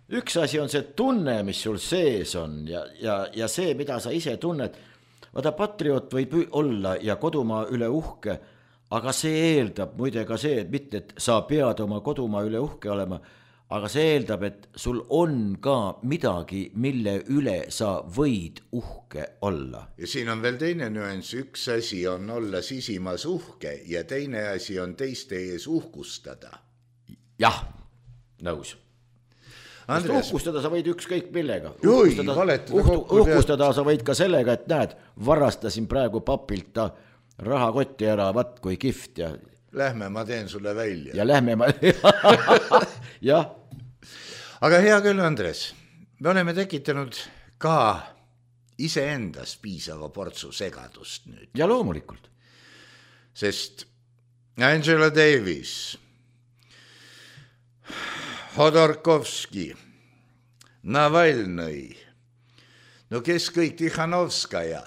üks asi on see tunne, mis sul sees on ja, ja, ja see, mida sa ise tunned. Vaata, patriot võib olla ja kodumaa üle uhke, aga see eeldab muide ka see, et mitte, et sa pead oma kodumaa üle uhke olema, aga see eeldab, et sul on ka midagi, mille üle sa võid uhke olla. Ja siin on veel teine nüanss, üks asi on olla sisimas uhke ja teine asi on teiste ees uhkustada. Jah, nõus. Andres. Uhkustada sa võid ükskõik millega. Jui, uhkustada, uhtu, uhkustada sa võid ka sellega, et näed, varastasin praegu papilt ta rahakotti ära, vat kui kift. Ja... Lähme, ma teen sulle välja. Ja lähme ma... jah. Aga hea küll, Andres, me oleme tekitanud ka iseendas piisava portsu segadust nüüd. Ja loomulikult. Sest Angela Davis... Hodorkovski, Navalnõi, no kes kõik, Tikhanovskaja.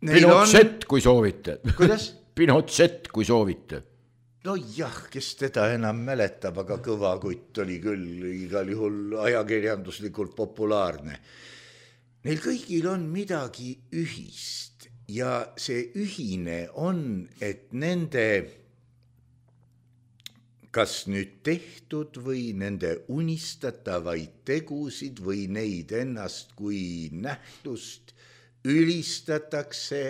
Pinochet, on... kui soovite. Kuidas? Pinochet, kui soovite. No jah, kes teda enam mäletab, aga kõva kutt oli küll igal juhul ajakirjanduslikult populaarne. Neil kõigil on midagi ühist ja see ühine on, et nende... kas nüüd tehtud või nende unistatavaid tegusid või neid ennast kui nähtust ülistatakse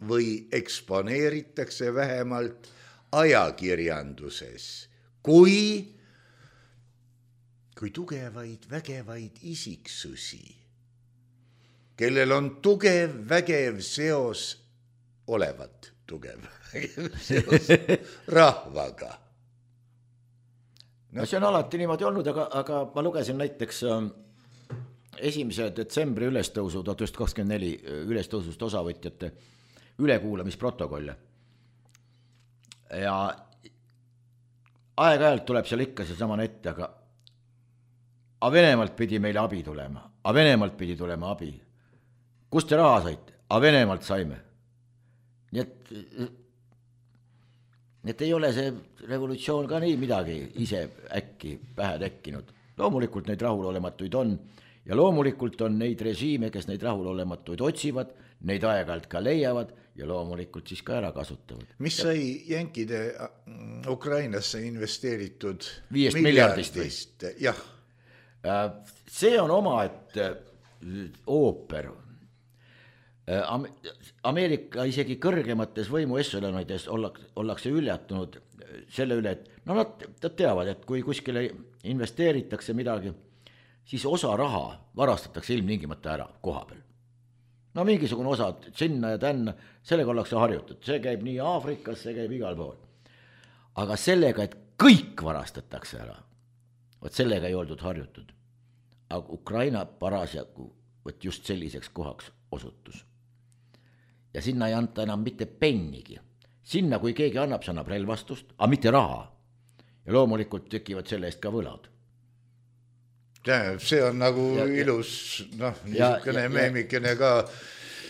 või eksponeeritakse vähemalt ajakirjanduses kui, kui tugevaid, vägevaid isiksusi, kellel on tugev, vägev seos, olevat tugev, vägev seos rahvaga. No. See on alati niimoodi olnud, aga, aga ma lugesin näiteks esimese detsembri ülestõusu tuhat üheksasada kakskümmend neli ülestõusust osavõtjate ülekuulamisprotokolle. Ja aeg-ajalt tuleb seal ikka see samane ette, aga a Venemaalt pidi meile abi tulema, a Venemaalt pidi tulema abi. Kust te raha saite? A Venemaalt saime. Nii et... et ei ole see revolutsioon ka nii midagi ise äkki pähe tekkinud. Loomulikult neid rahulolematuid on ja loomulikult on neid režiime, kes neid rahulolematuid otsivad, neid aeg-ajalt ka leiavad ja loomulikult siis ka ära kasutavad. Mis ja... sai jänkide Ukrainasse investeeritud viiest miljardist? Jah. See on oma, et ooper. Ameerika isegi kõrgemates võimuesselonides ollakse üljatunud selle üle, et no nad teavad, et kui kuskile investeeritakse midagi, siis osa raha varastatakse ilmtingimata ära koha peal. No mingisugune osa sinna ja tänna, sellega ollakse harjutud. See käib nii Aafrikas, see käib igal pool. Aga sellega, et kõik varastatakse ära, võt sellega ei oldud harjutud. Aga Ukraina parasjagu võt just selliseks kohaks osutus. Ja sinna ei anta enam mitte pennigi. Sinna, kui keegi annab, see annab relvastust, aga mitte raha. Ja loomulikult tekivad selle eest ka võlad. See on nagu ja, ilus, noh, niisugune meemikene ka.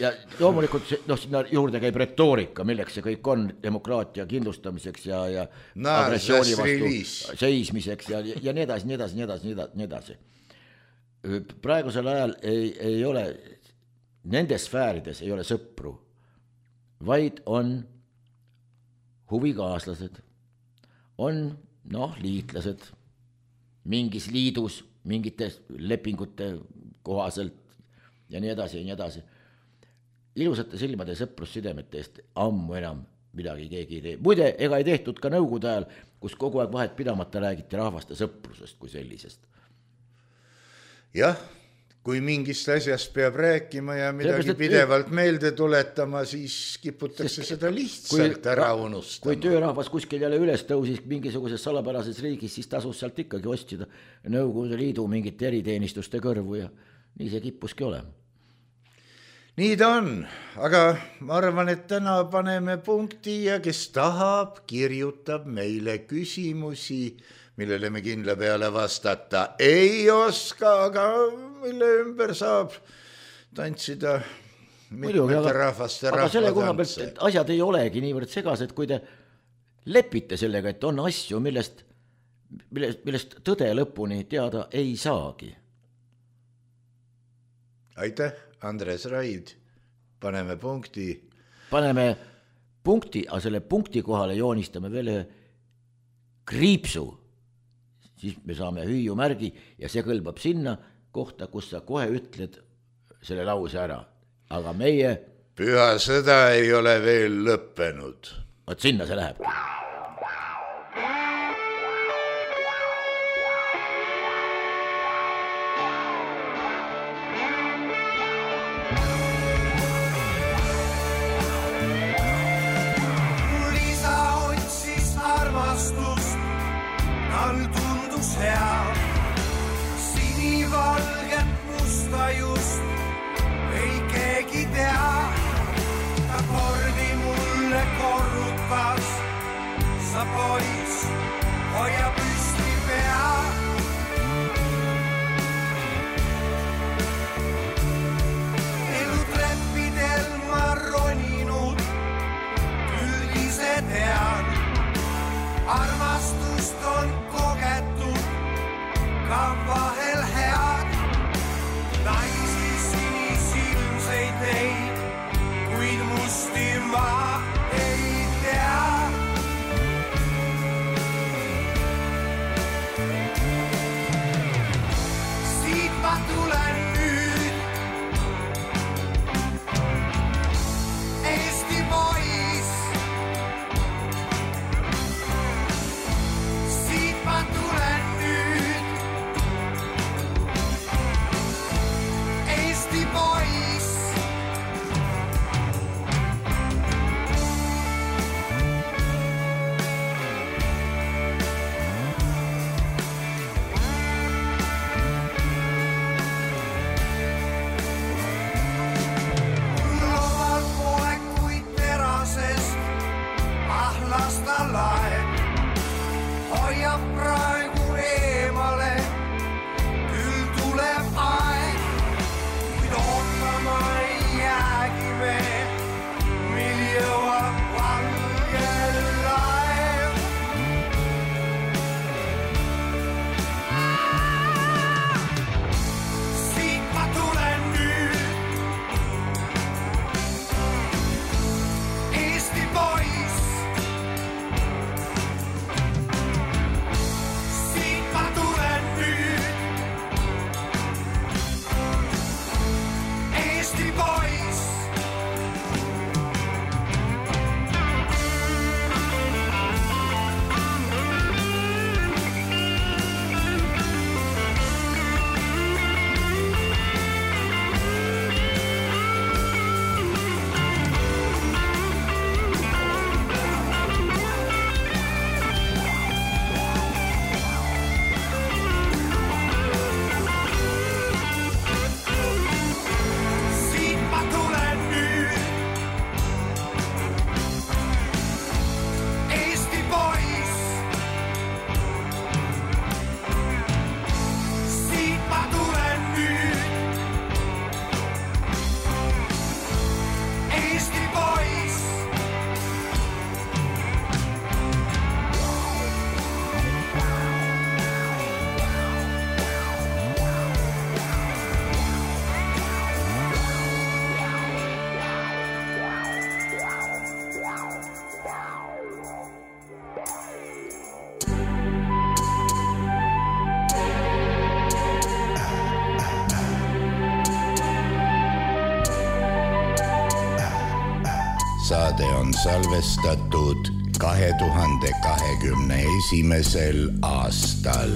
Ja loomulikult no, sinna juurde käib retoorika, milleks see kõik on demokraatia kindlustamiseks ja, ja agressiooni vastu seismiseks ja, ja nii edasi, nii edasi, nii edasi, nii edasi. Praegusel ajal ei, ei ole, nendes sfäärides ei ole sõpru, vaid on huvikaaslased, on noh, liitlased mingis liidus, mingite lepingute kohaselt ja nii edasi ja nii edasi. Ilusate silmade sõprussidemete eest ammu enam midagi keegi ei tee. Muide, ega ei tehtud ka nõukogude ajal, kus kogu aeg vahet pidamata räägiti rahvaste sõprusest kui sellisest. Jah, kui mingist asjast peab rääkima ja midagi Seepärast, pidevalt et... meelde tuletama, siis kiputakse Sest, seda lihtsalt kui, ära unustama. Kui töörahvas kuskil jälle üles tõusis mingisuguses salapärases riigis, siis tasus sealt ikkagi ostida Nõukogude Liidu mingite eriteenistuste kõrvu ja nii see kippuski olema. Nii ta on, aga ma arvan, et täna paneme punkti ja kes tahab, kirjutab meile küsimusi, millele me kindla peale vastata ei oska, aga mille ümber saab tantsida mitmete rahvaste rahvatantse. Aga selle koha pealt, et asjad ei olegi niivõrd segased, kui te lepite sellega, et on asju, millest, millest, millest tõde lõpuni teada ei saagi. Aitäh, Andres Raid. Paneme punkti. Paneme punkti, aga selle punkti kohale joonistame veel ühe kriipsu. Siis me saame hüüu märgi ja see kõlbab sinna kohta, kus sa kohe ütled selle lause ära. Aga meie... Püha sõda ei ole veel lõppenud. Võt sinna see läheb. Sinivalget musta just ei keegi tea. Ta kordi mulle korrutas, sa pois hoia püsti pea. Elu treppidel ma roninud, küll ise tean. Armastust on kogetud, ka vahel head. Naisi sinisilmseid ei, kuid musti ma ei tea. saade on salvestatud kahe tuhande kahekümne esimesel aastal.